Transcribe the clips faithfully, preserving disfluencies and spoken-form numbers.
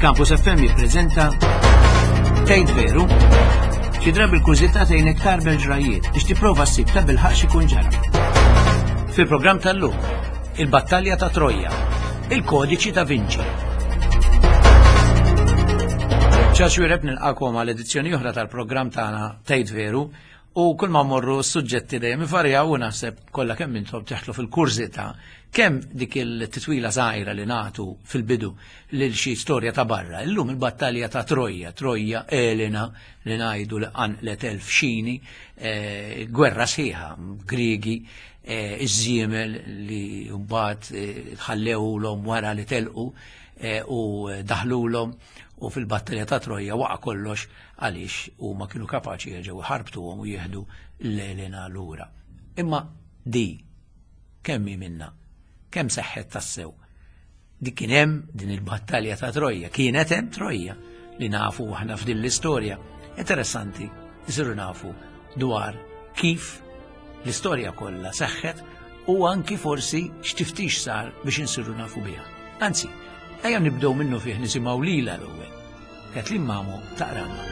Campus F M jippreżenta Tgħid Veru? Xi drabi l-kurżità tgħinek tarbel ġrajiet biex tipprova ssib ta' bilħaqq x'ikun ġara. Fil-programm tal-lum, il-Battalja ta' Troja, il-Kodiċi da Vinci. Ċaċ Wireb nilqakom għal edizzjoni oħra tal-programm tagħna Tgħid Veru, u kull ma mmorru s-suġġetti dejjem ivarjaw u naħseb kollha kemm intom teħlu fil-kurżità kemm dik il-titwila żgħira li nagħtu fil-bidu lil xi storja ta' barra. Illum il-battalja ta' Troja, Troja Elena li ngħidu li qanqlet elf xini, eh, gwerra sħiħa, Griegi, eh, iż-żiemel li mbagħad eh, ħallewlhom wara li telqu u daħlulhom, u fil-battalja ta' Troja waqa' kollox għaliex huma kienu kapaċi jerġgħu ħarbtuhom u jieħdu l-Elena lura. Imma di kemm hi minna? Kemm seħħet tassew? Di kien hemm din il-battalja ta' Troja, kienet hemm Troja li nafu aħna f'din l-istorja. Interessanti isiru nafu dwar kif l-istorja kollha seħħet u anki forsi x'tiftix sar biex insiru nafu biha. Anzi, ejja nibdew minnu fih nisimgħu lila l-ewwel. Kathleen Mamo taqranna.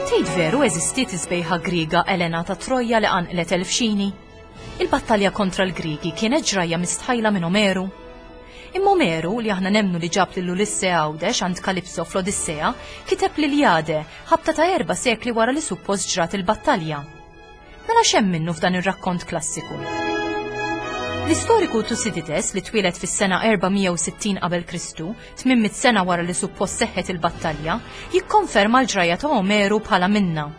Tgħid veru eżistiet is-sbejħa Griega Elena ta' Troja li qanqlet elf xini? Il-battalja kontra l-Griegi kienet ġrajja mistħajla minn Omeru. Imma Omeru, li aħna nemmnu li ġab lil Ulisse Għawdex għand Kalipso fl-Odissea, kiteb l-Iljade, ħabta ta' erba' sekli wara li suppost ġrat il-battalja. Mela x'hemm minnu f'dan ir-rakkont klassiku? L-istoriku Tusidides, li twieled fis-sena erba' mija u sittin qabel Kristu, tmien mitt sena wara li suppost seħħet il-battalja, jikkonferma l-ġrajja ta' Omeru bħala minna.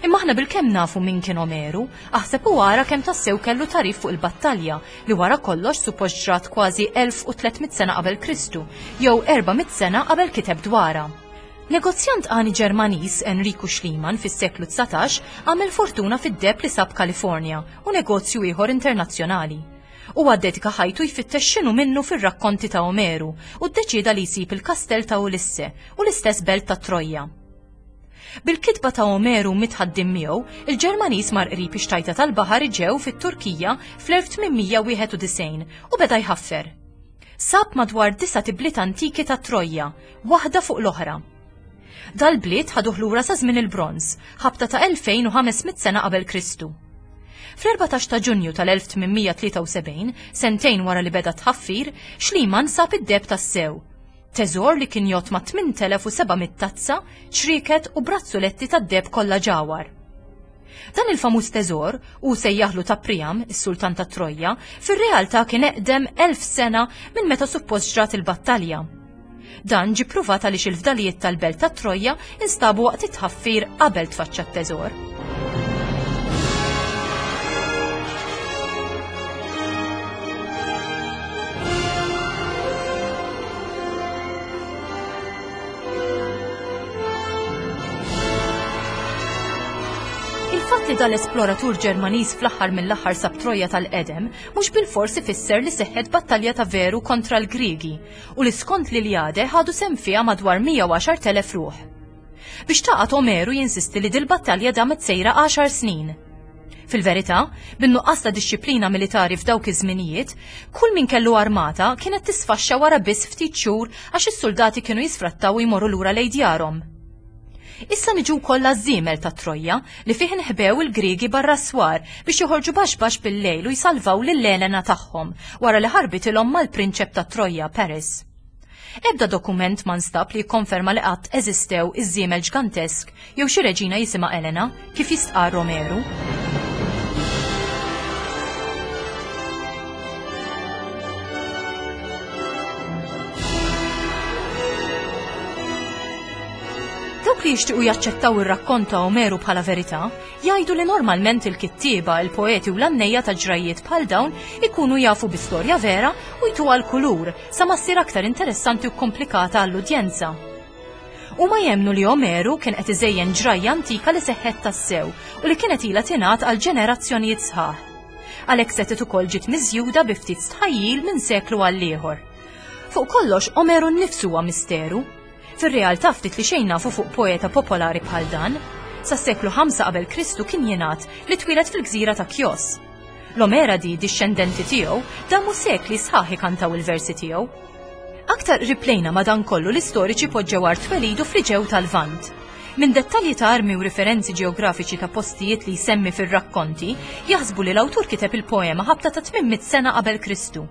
Imma aħna bilkemm nafu min kien Omeru, aħseb u ara kemm tassew kellu tarif fuq il-battalja li wara kollox suppost ġrat kważi elf u tliet mitt sena qabel Kristu, jew erba' mitt sena qabel kiteb dwarha. Negozjant għani Ġermaniż Enriku Schliemann fis-seklu dsatax għamel fortuna fid-deheb li sab Kalifornja u negozju ieħor internazzjonali. Huwa ddedika ħajtu jfittex x'inhu minnu fir-rakkonti ta' Omeru u ddeċieda li jsib il-kastell ta' Ulisse u l-istess belt ta' Troja. Bil-kitba ta' Omeru mitħaddim miegħu, il-Ġermaniż mar qrib ix-xtajta tal-baħar Eġew fit-Turkija fl-elf tmien mija wieħed u disgħin u beda jħaffer. Sab madwar disa' tibliet antiki ta' Troja, waħda fuq l-oħra. Dal-bliet ħaduh lura sa żmien il-Bronż, ħabta ta' elfejn u ħames mitt sena qabel Kristu. Fl-erbatax ta' Ġunju tal-elf tmien mija tlieta u sebgħin, sentejn wara li beda tħaffir, Schliemann sab id-deheb tassew. Teżor li kien jgħodd ma' tmien elef u seba' mitt tazza, ċrieket u brazzuletti tad-deheb kollha ġawar. Dan il-famuż teżor, u sejjaħlu ta' Priam, is-sultan ta' Troja, fir-realtà kien eqdem elf sena minn meta suppost ġrat il-battalja. Dan ġie pruvat għaliex il-fdalijiet tal-belt ta' Troja instabu waqt it-tħaffir qabel tfaċċa t-teżor. Il-fatt li dal-esploratur Ġermaniż fl-aħħar mill-aħħar sab Troja tal-qedem mhux bilfors ifisser li seħħet battalja ta' veru kontra l-Griegi u li skont l-Iljade ħadu sehem fiha madwar mija u għaxar telef ruħ. Biex taqgħod Omeru jinsisti li dil-battalja damet sejra għaxar snin. Fil-verità, bin-nuqqas ta' dixxiplina militari f'dawk iż-żminijiet, kull min kellu armata kienet tisfaxxa wara biss ftit xhur għax is-soldati kienu jisfrattaw u jmorru lura lejn djarhom. Issa niġu wkoll għaż-żiemel ta' Troja li fih inħbew il-Griegi barra s-swar biex joħorġu baxx baxx bil-lejl u jsalvaw lil Elena tagħhom wara li ħarbitilhom mal-prinċep ta' Troja, Paris. Ebda dokument ma nstab li jikkonferma li qatt eżistew iż-żiemel ġgantesk jew xi reġina jisimha Elena kif jistqarr Omeru. Dawk li jixtiequ jaċċettaw ir-rakkont ta' Omeru bħala verità, jgħidu li normalment il-kittieba, il-poeti u l-annejja ta' ġrajiet bħal dawn ikunu jafu bi storja vera u jtuha l-kulur sa ma ssir aktar interessanti u komplikata għall-udjenza. Huma jemmnu li Omeru kien qed iżejjen ġrajja antika li seħħet tassew u li kienet ilha tingħad għal ġenerazzjonijiet sħaħ. Għalhekk setgħet ukoll ġiet miżjuda bi ftit stħajjil minn seklu għal ieħor. Fuq kollox, Omeru nnifsu huwa misteru. Fir-realtà ftit li xejn nafu fuq poeta popolari bħal dan. Sas-seklu ħamsa qabel Kristu kien jingħad li twieled fil-gżira ta' Kjos. L-Omeradi, dixxendenti tiegħu, damu sekli sħaħ ikantaw il-versi tiegħu. Aktar qrib lejna madankollu l-istoriċi poġġew art twelidu fl-Iġew tal-Lvant. Minn dettalji ta' armi u riferenzi ġeografiċi ta' postijiet li jsemmi fir-rakkonti, jaħsbu li l-awtur kiteb il-poema ħabta ta' tmien mitt sena qabel Kristu.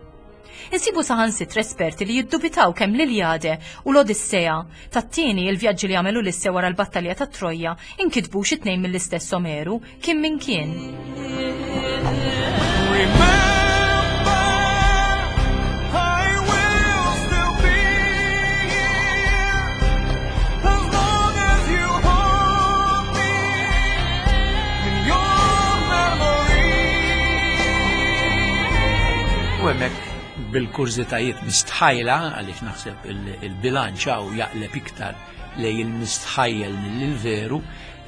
Insibu saħansitra esperti li jiddubitaw kemm l-Iljade u l-Odissea tat-tieni il-vjaġġi li għamel Ulisse wara l-battalja ta' Troja inkitbux it-tnejn mill-istess Omeru, kien min kien. Remember, I will still be here as long as you hold me in your memory. U hemmhekk bil-kurżitajiet mistħajla, għaliex naħseb il-, il-bilanċ hawn jaqleb iktar lejn il-mistħajjel mill-veru,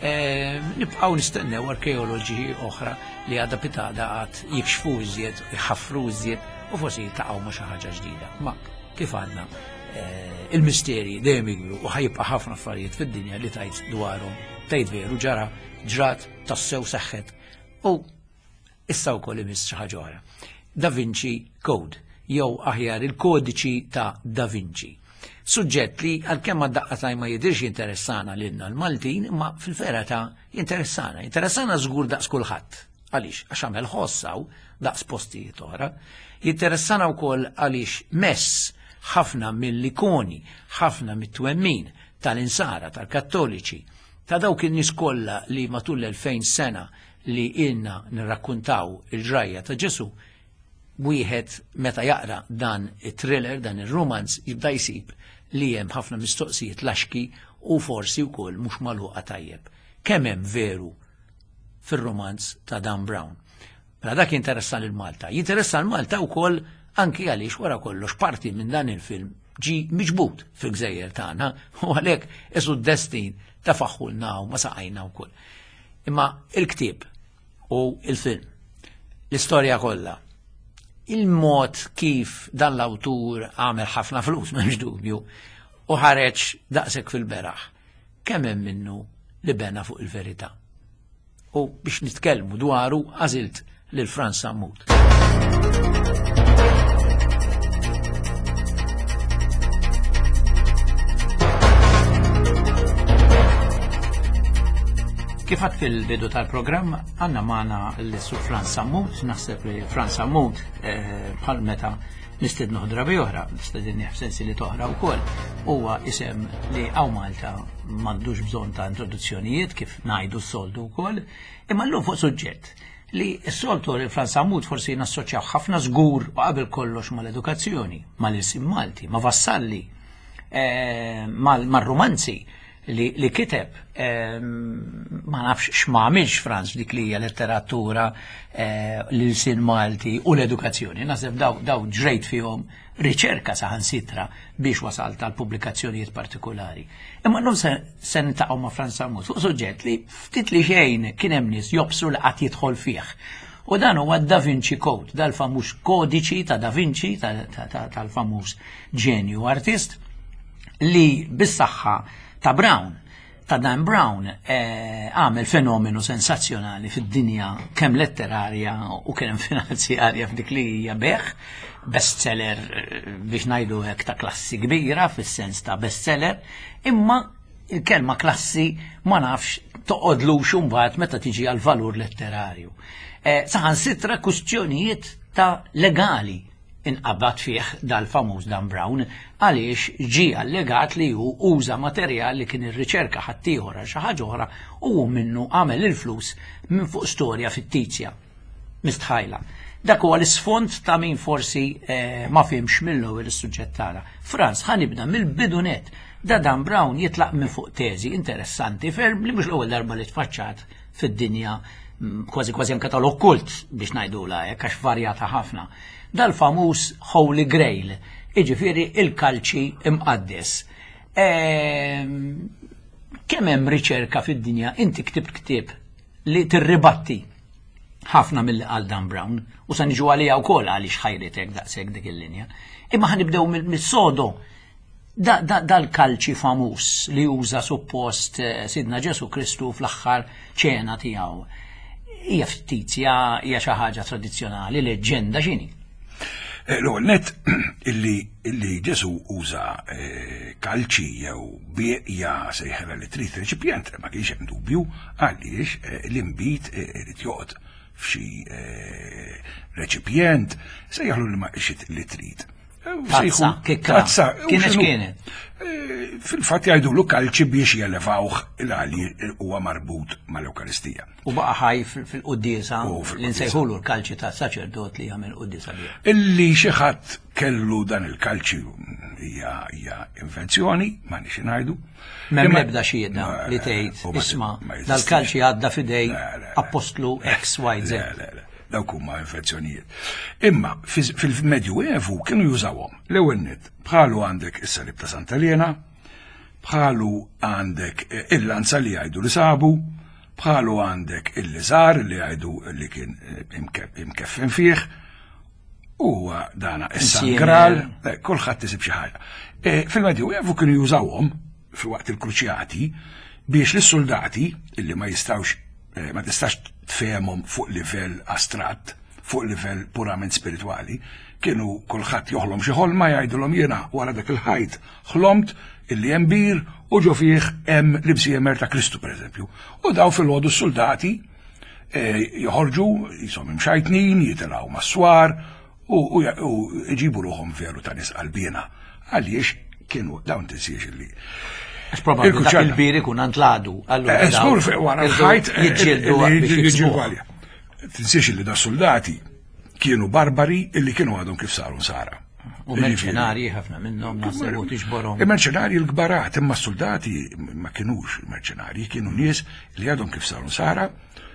eh, nibqgħu nistennew arkeoloġi oħra li għada pitada għad jikxfu iżjed, jħaffru iżjed u forsi jiltaqgħu ma' xi ħaġa ġdida. Ma kif għandna, eh, il-misteri dejjem jikbru u ħajibqa' ħafna affarijiet fid-dinja li tajt dwarhom, tgħid veru ġara, ġrat, tassew seħħet u issa wkoll imiss xi ħaġa oħra. Da Vinci Code, jew aħjar il-kodiċi ta' Da Vinci. Suġġett li għalkemm għad-daqqa taj ma jidirx jinteressana lilna l-Maltin, imma fil-vera ta' jinteressana. Jinteressana żgur daqs kulħadd. Għaliex? Għax għamel ħossaw daqs postijiet oħra. Jinteressana wkoll għaliex mess ħafna mill-ikoni, ħafna mit-twemmin tal-insara, tal-kattoliċi, ta' dawk in-nies kollha li matul l-elfejn sena li ilna nirrakkuntaw il-ġrajja ta' Ġesu, wieħed meta jaqra dan it-thriller, dan ir-romanz, jibda jsib li hemm ħafna mistoqsijiet laxki u forsi wkoll mhux magħluqa tajjeb. Kemm hemm veru fir-romanz ta' Dan Brown? Mela dak jinteressa lil Malta. Jinteressa lil Malta wkoll anki għaliex wara kollox parti minn dan il-film ġi miġbud fil-gżejjer tagħna u għalhekk isu d-destin ta' faħħulna u ma saqajna wkoll. Imma il-ktieb u il-film, l-istorja kollha, il-mod kif dan l-awtur għamel ħafna flus, m'hemmx dubju, u ħareġ daqshekk fil-beraħ, kemm hemm minnu li bena fuq il-verità. U biex nitkellmu dwaru għażilt lil Frans Sammut. Kif għad fil-bidu tal-programm, għanna maħna l-Sur Frans Sammut, naħseb li Frans Sammut, eh, bħal meta nistednu drabi oħra, nistedni f'sensi li toħra wkoll, huwa isem li hawn Malta m'għandux bżonn ta' introduzzjonijiet kif ngħidu s-soltu wkoll, imma llum fuq suġġett li s-soltu li Frans Sammut forsi nassoċjaw ħafna żgur u qabel kollox mal-edukazzjoni, mal-ilsien Malti, ma' Vassalli, eh, mal-, mar-romanzi li, li kiteb, ehm, ma nafx x'ma għamilx Frans dik li hija letteratura, eh, l-ilsien Malti u l-edukazzjoni. Naħseb daw, daw ġrejt fihom riċerka saħansitra biex wasalt għal pubblikazzjonijiet partikolari. Imma llum se, se niltaqgħu ma' Frans Sammut fuq suġġett li ftit li xejn kien hemm nies jobsru li qatt jidħol fih. U dan huwa Da Vinci Code, dal-famuż kodiċi ta' Da Vinci, ta', ta', ta', tal-famuż ġenju artist, li bis-saħħa ta' Brown, ta' Dan Brown, eh, għamel fenomenu sensazzjonali fid-dinja kemm letterarja u kemm finanzjarja f'dik li hija beħ, bestseller, eh, biex ngħidu hekk ta' klassi kbira fis-sens ta' bestseller, imma il-kelma klassi ma nafx toqgħodlux imbagħad meta tiġi għal valur letterarju. Eh, saħansitra kwistjonijiet ta' legali inqabad fih dal-famuż Dan Brown għaliex ġie allegat li hu uża materjal li kien irriċerka ħaddieħor għal xi ħaġa oħra u hu minnu għamel il-flus minn fuq storja fittizja mistħajla. Dak huwa l-isfond ta' min forsi, eh, ma fihmx mill-ewwel is-suġġett tagħna. Frans, ħa nibda mill-bidu net. Da Dan Brown jitlaq minn fuq teżi interessanti ferm li mhux l-ewwel darba li tfaċċat fid-dinja, mm, kważi kważi anke tal-okkult biex ngħidulha hekk għax varjata ħafna. Dal-famuż Holy Grail, jiġifieri il-kalċi imqaddes. Ehm, kemm hemm riċerka fid-dinja, inti ktibt ktieb li tirribatti Ħafna mill qal Dan Brown, u sa niġu għalija wkoll għaliex ħajritek daqshekk dik il-linja. Imma ħa nibdew mill-sodo. Dal-kalċi famuż li uża suppost eh, Sidna Ġesu Kristu fl-aħħar ċena tiegħu. Hija fittizja, hija xi ħaġa tradizzjonali, leġġenda, x'inhi? Eh, l-ewwel net illi illi Ġesu uża eh, kalċi jew bieqja, sejħela li trid, reċipjent, ma kienx hemm dubju għaliex l-inbid irid joqgħod f'xi reċipjent, sejjaħlu li ma li trid. Tazza, kikra. Tazza. Kienet kienet. Eh, fil-fatt jgħidulu kalċi biex jelevawh il-għali huwa marbut mal-Ewkaristija. U baqa' ħaj fil-quddiesa li nsejħulu l-kalċi ta' saċerdot li jagħmel quddiesa bih. Illi xi ħadd kellu dan il-kalċi hija hija invenzjoni, ma nix ngħidu. M'hemm l-ebda xhieda li tgħid, isma', dal-kalċi għadda f'idej apostlu X, Y, Z. Dawk huma infezzjonijiet. Imma fil-Medju Evu kienu jużawhom. L-ewwel nett, bħalu għandek is-salib ta' Santa Elena, bħalu għandek il-lanza li jgħidu li sabu, bħalu għandek il-liżar li jgħidu li kien imkeffen fih, u dana is-San Graal, kulħadd isib xi ħaġa. Fil-Medju Evu kienu jużawhom fil-waqt il-kruċjati biex lis-soldati illi ma jistgħux, ma tistax tfehmhom fuq livell astratt, fuq livell purament spiritwali, kienu kulħadd joħlom xi ħolma, jgħidulhom jiena wara dak il-ħajt ħlomt illi hemm bir u ġo fih hemm l-imsiemer ta' Kristu pereżempju. U daw fil-ħodu s-soldati joħorġu jisom imxajtnin, jitilgħu mas-swar u jġibu ruħhom veru ta' nies qalbiena. Għaliex kienu dawn tinsiex illi Għax probabbli dak il-bir ikun għand l-għadu. Żgur wara l-ħajt jiġġieldu biex jiġġieldu għalija. Tinsiex illi da soldati kienu barbari illi kienu għadhom kif saru nsara. U merċenarji ħafna minnhom naħseb u tiġborhom. Il-merċenarji l-kbarat, imma s-soldati ma kinux merċenarji, kienu nies li għadhom kif saru nsara,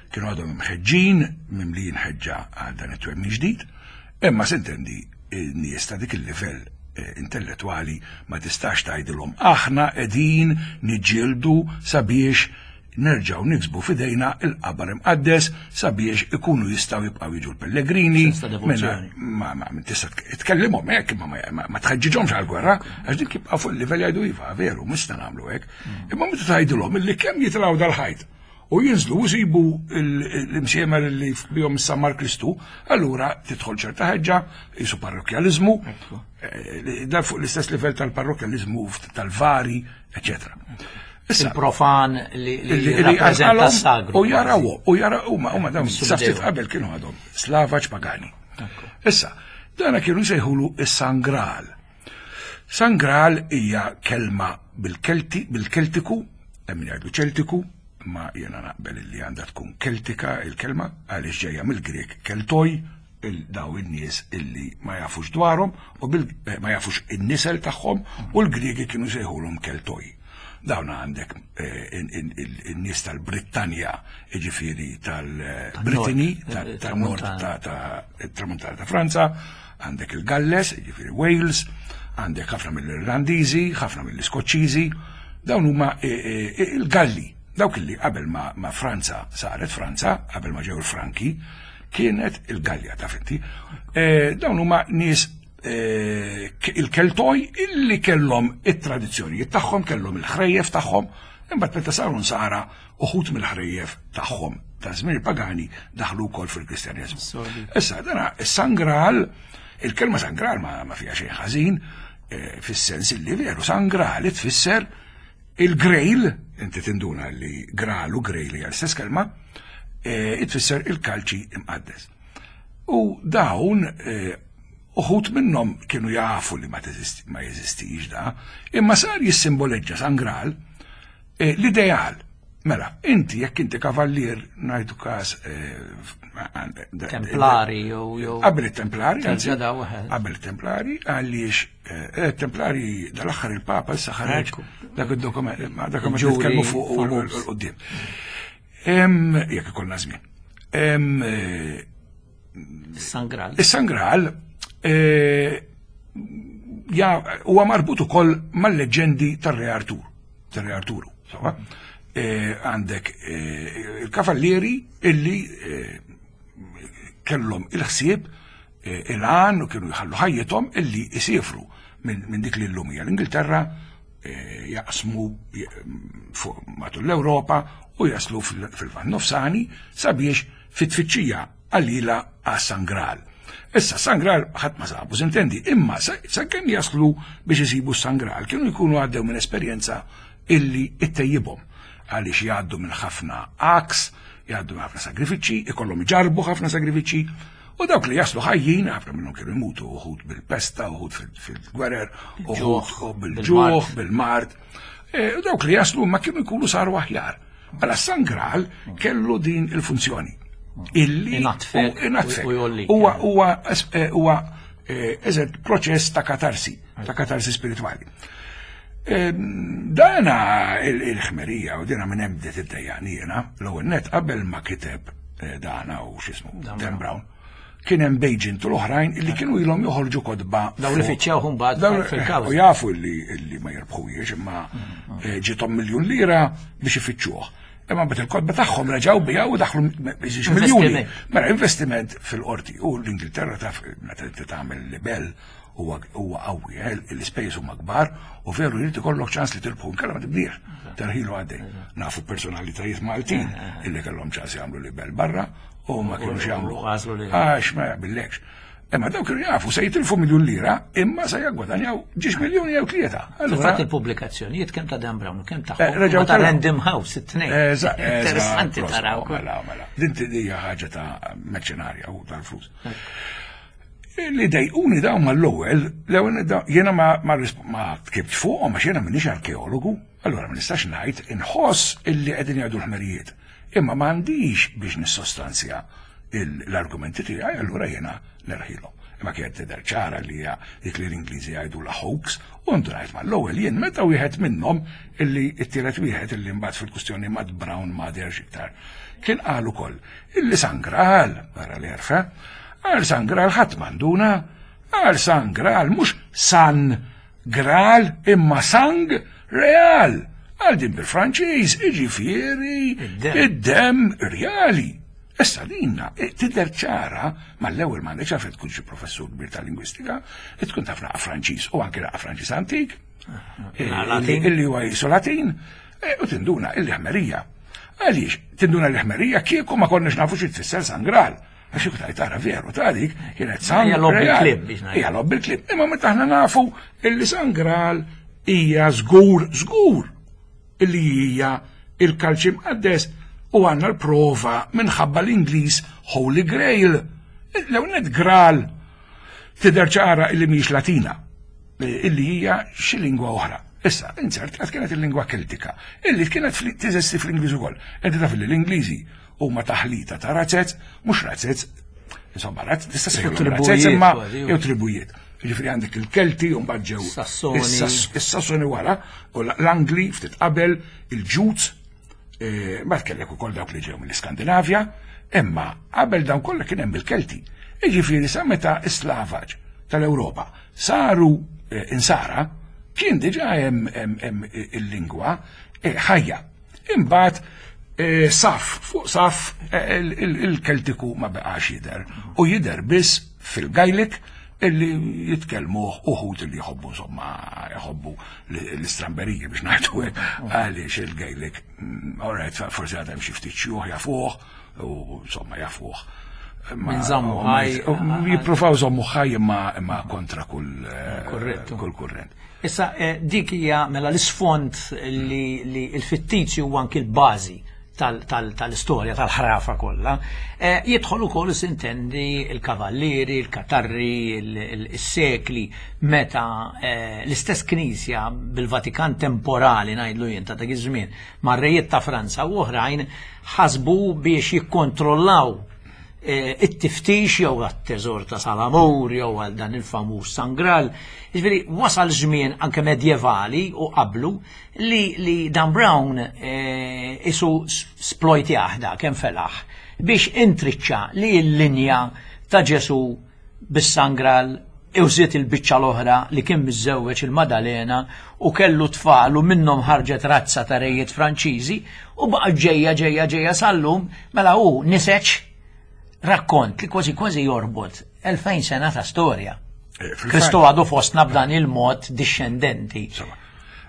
kienu għadhom imħeġġin, mimlijin ħeġġa għal dan it-twemmin ġdid, imma s'intendi n-nies ta' dik il-livell intellettwali ma tistax tgħidilhom aħna qegħdin niġġieldu sabiex nerġgħu niksbu f'idejna il-qabar imqaddes sabiex ikunu jistgħu jibqgħu jiġu l-pellegrini. Ma ma tista' tkellimhom hekk, ma ma tħeġġiġhomx għall-gwerra, għax dik jibqgħu fuq il-livell jgħidu iva, veru, mista nagħmlu hekk. Imma meta tgħidilhom illi kemm jitilgħu dal-ħajt u jinżlu u jsibu l-imsiemer li bihom sammar Kristu, allura tidħol ċerta ħeġġa, jisu parrokjaliżmu, dan fuq l-istess livell tal-parrokjaliżmu tal-vari, eċetera. Il-profan li rappreżenta s-sagru. U jaraw, u jaraw, huma huma dawn sa ftit qabel kienu għadhom slavaġ pagani. Issa, dana kienu jsejħulu is-San Graal. San Graal hija kelma bil-Kelti, bil-Keltiku, hemm min jgħidu Ċeltiku, ma jena naqbel li għandha tkun Keltika il-kelma għaliex ġejja mill-Grek Keltoj, daw in-nies illi ma jafux dwarhom u ma jafux in-nisel tagħhom, u l-Griegi kienu sejħulhom Keltoj. Dawn għandek in-nies tal-Brittanja, jiġifieri tal-Brittany, tal-Nord tat-Tramuntana ta' Franza, għandek il-Galles, jiġifieri Wales, għandek ħafna mill-Irlandiżi, ħafna mill-Iskoċċiżi, dawn huma il-Galli. Dawk illi qabel ma, ma Franza saret Franza, qabel ma ġew il-Franki, kienet il-Gallja ta' finti. E, dawn huma nies e, il-Keltoj illi kellhom it-tradizzjonijiet tagħhom, kellhom il-ħrejjef tagħhom, imbagħad meta saru nsara uħud mill-ħrejjef tagħhom ta' żmien pagani daħlu wkoll fil-Kristjaneżmu. Issa dana is-San Graal, il-kelma San Graal ma, ma fiha xejn ħażin, e, fis-sens illi veru San Graal tfisser il-Grail, inti tinduna li Graal u Grail hija l-istess kelma, itfisser il-kalċi imqaddes. U dawn uħud minnhom kienu jafu li ma jeżistix da, imma sar jissimboleġġa San Graal l-ideal. Mela, inti jekk inti kavallier ngħidu każ Templari jew qabel it-Templari, qabel it-Templari, għaliex it-Templari dal-aħħar il-Papa issa ħareġ dak id-dokument, dak ma nitkellmu fuq quddiem. Jekk ikollna żmien. Is-San Graal. Is-San Graal huwa marbut ukoll mal-leġġendi tar-Re Artur, tar-Re Arturu, sewwa? Għandek il-kavallieri illi kellhom il-ħsieb, il-għan u kienu jħallu ħajjithom illi jisifru minn dik li llum hija l-Ingilterra, jaqsmu matul l-Ewropa u jaslu fil-Lvant Nofsani sabiex fit-tfittxija qalila għas-San Graal. Issa San Graal ħadd ma sabu, sintendi, imma sakemm jaslu biex isibu San Graal kienu jkunu għaddew minn esperjenza illi ittejjibhom għaliex jgħaddu minn ħafna għaks, jgħaddu minn ħafna sagrifiċċji, ikollhom iġarbu ħafna sagrifiċċji, u dawk li jaslu ħajjin, ħafna minnhom kienu jmutu, uħud bil-pesta, uħud fil-gwerer, uħud bil-ġuħ, bil-mard. U dawk li jaslu ma kienu jkunu saru aħjar. Mela San Graal kellu din il-funzjoni. Illi Inatfek inatfek. u jollik. Huwa huwa huwa eżatt proċess ta' katarsi, ta' katarsi spirituali. Dana il-ħmerija u dina minn hemm bdiet iddejjaqni jiena, l-ewwel net qabel ma kiteb dana u x'ismu Dan Brown, kien hemm Baigent u l-oħrajn illi kienu ilhom joħorġu kotba. Daw li fittxew mbagħad fil-kawża. U jafu li illi ma jirbħuhiex, imma ġiethom miljun lira biex ifittxuh. Imma mbagħad il-kotba tagħhom reġgħu biha u daħlu biex miljuni. Mela investiment fil-qorti u l-Ingilterra taf meta inti tagħmel libel huwa qawwi, l-ispejjeż huma kbar u veru jrid ikollok ċans li tirbħu inkella ma tibdiex. Terħilu għaddej. Nafu personalitajiet Maltin illi kellhom ċans jagħmlu libel barra u ma kienux jagħmlu. Għax ma jaqbillekx. Imma dawk kienu jafu se jitilfu miljun lira imma se jaggwadanjaw ġiex miljuni jew tlieta. Fil-fatt il-pubblikazzjonijiet kemm ta' Dan Brown u kemm ta' ta' Random House it-tnejn. Interessanti taraw. Mela, mela. Din hija ħaġa ta' merċenarja u tal-flus. Li dejquni dawn mal-ewwel, l-ewwel jiena ma ma tkibtx fuqhom għax jiena m'iniex arkeologu, allura ma nistax ngħid inħoss illi qegħdin jgħidu l-ħmerijiet. Imma m'għandix biex nissostanzja l-argumenti tiegħi, allura jiena nerħilhom. Imma kienet tidher ċara li hija dik li l-Ingliżi jgħidu la hoax, u ndunajt mal-ewwel jien meta wieħed minnhom illi t-tielet wieħed illi mbagħad fil-kwistjoni Matt Brown ma deherx iktar. Kien qal ukoll illi San Graal, wara l-erfa, għal San Graal ħadd m'għanduna, għal San Graal mhux San Graal imma Sang Real. Għal din bil-Franċiż, iġifieri id-dem reali. Issa dinna tidher ċara mal-ewwel m'għandekx għalfejn tkun xi professur kbir tal-lingwistika, tkun taf naqa' Franċiż u anke naqa' Franċiż antik, illi huwa jisu Latin, u tinduna illi ħmerija. Għaliex tinduna l-ħmerija kieku ma konniex nafu xi tfisser San Graal. Għax kieku tajt tara veru ta' dik kienet San Graal. Hija lobby il-klib. Imma meta aħna nafu illi San Graal hija żgur żgur illi hija il-kalċi mqaddes u għandna l-prova minħabba l-Ingliż Holy Grail. L-ewwel Graal tidher ċara illi mhijiex Latina, illi hija xi lingwa oħra. Issa, inzert kienet il-lingwa Keltika, illi kienet teżisti fl-Ingliż ukoll. Inti taf li l-Ingliżi huma taħlita ta' razzez, mhux razzez, insomma, tista' sejħilhom razzez imma jew tribujiet. Jiġifieri għandek il-Kelti u mbagħad ġew is-Sassoni wara, u l-Angli ftit qabel, il-Ġuts, mbagħad kellek ukoll dawk li ġew mill-Iskandinavja, imma qabel dawn kollha kien hemm il-Kelti. Jiġifieri sa meta is-Slavaġ tal-Ewropa saru insara, kien diġà hemm il-lingwa ħajja. Imbagħad saf, fuq saf il-Keltiku ma beqax jidher u jidher biss fil-Gaelic illi jitkellmuh uħud illi jħobbu insomma jħobbu l-istramberiji biex ngħidu hekk għaliex il-Gaelic all right forsi għad hemm xi ftit xjuħ jafuh u insomma jafuh. Minn żammu ħaj. Jippruvaw żommu ħaj imma kontra kull kull kurrent. Issa dik hija mela l-isfond li l-fittizju huwa anki l-bażi tal-istorja, tal-ħrafa kollha. Jidħol ukoll sintendi il-kavallieri, il-katarri, il-sekli, meta l-istess knisja bil-Vatikan temporali ngħidlu jien ta' dak iż-żmien mar-rejiet ta' Franza u oħrajn ħasbu biex jikkontrollaw it-tiftix jew għat-teżor ta' Salamur jew għal dan il-famuż San Graal. Jiġifieri wasal żmien anke medjevali u qablu li, li Dan Brown isu splojtjah da kemm felaħ biex intriċċa li l-linja ta' Ġesu bis-San Graal użiet il-biċċa l-oħra li kien miżżewweġ il-Madalena u kellu tfal u minnhom ħarġet razza ta' rejiet Franċiżi u baqa' ġejja ġejja ġejja sal-lum mela hu niseġ Rakkont li kważi kważi jorbot elfejn sena ta' storja. Eh, fil-fatt- Kristu għadu fostna b'dan il-mod dixxendenti. Insomma,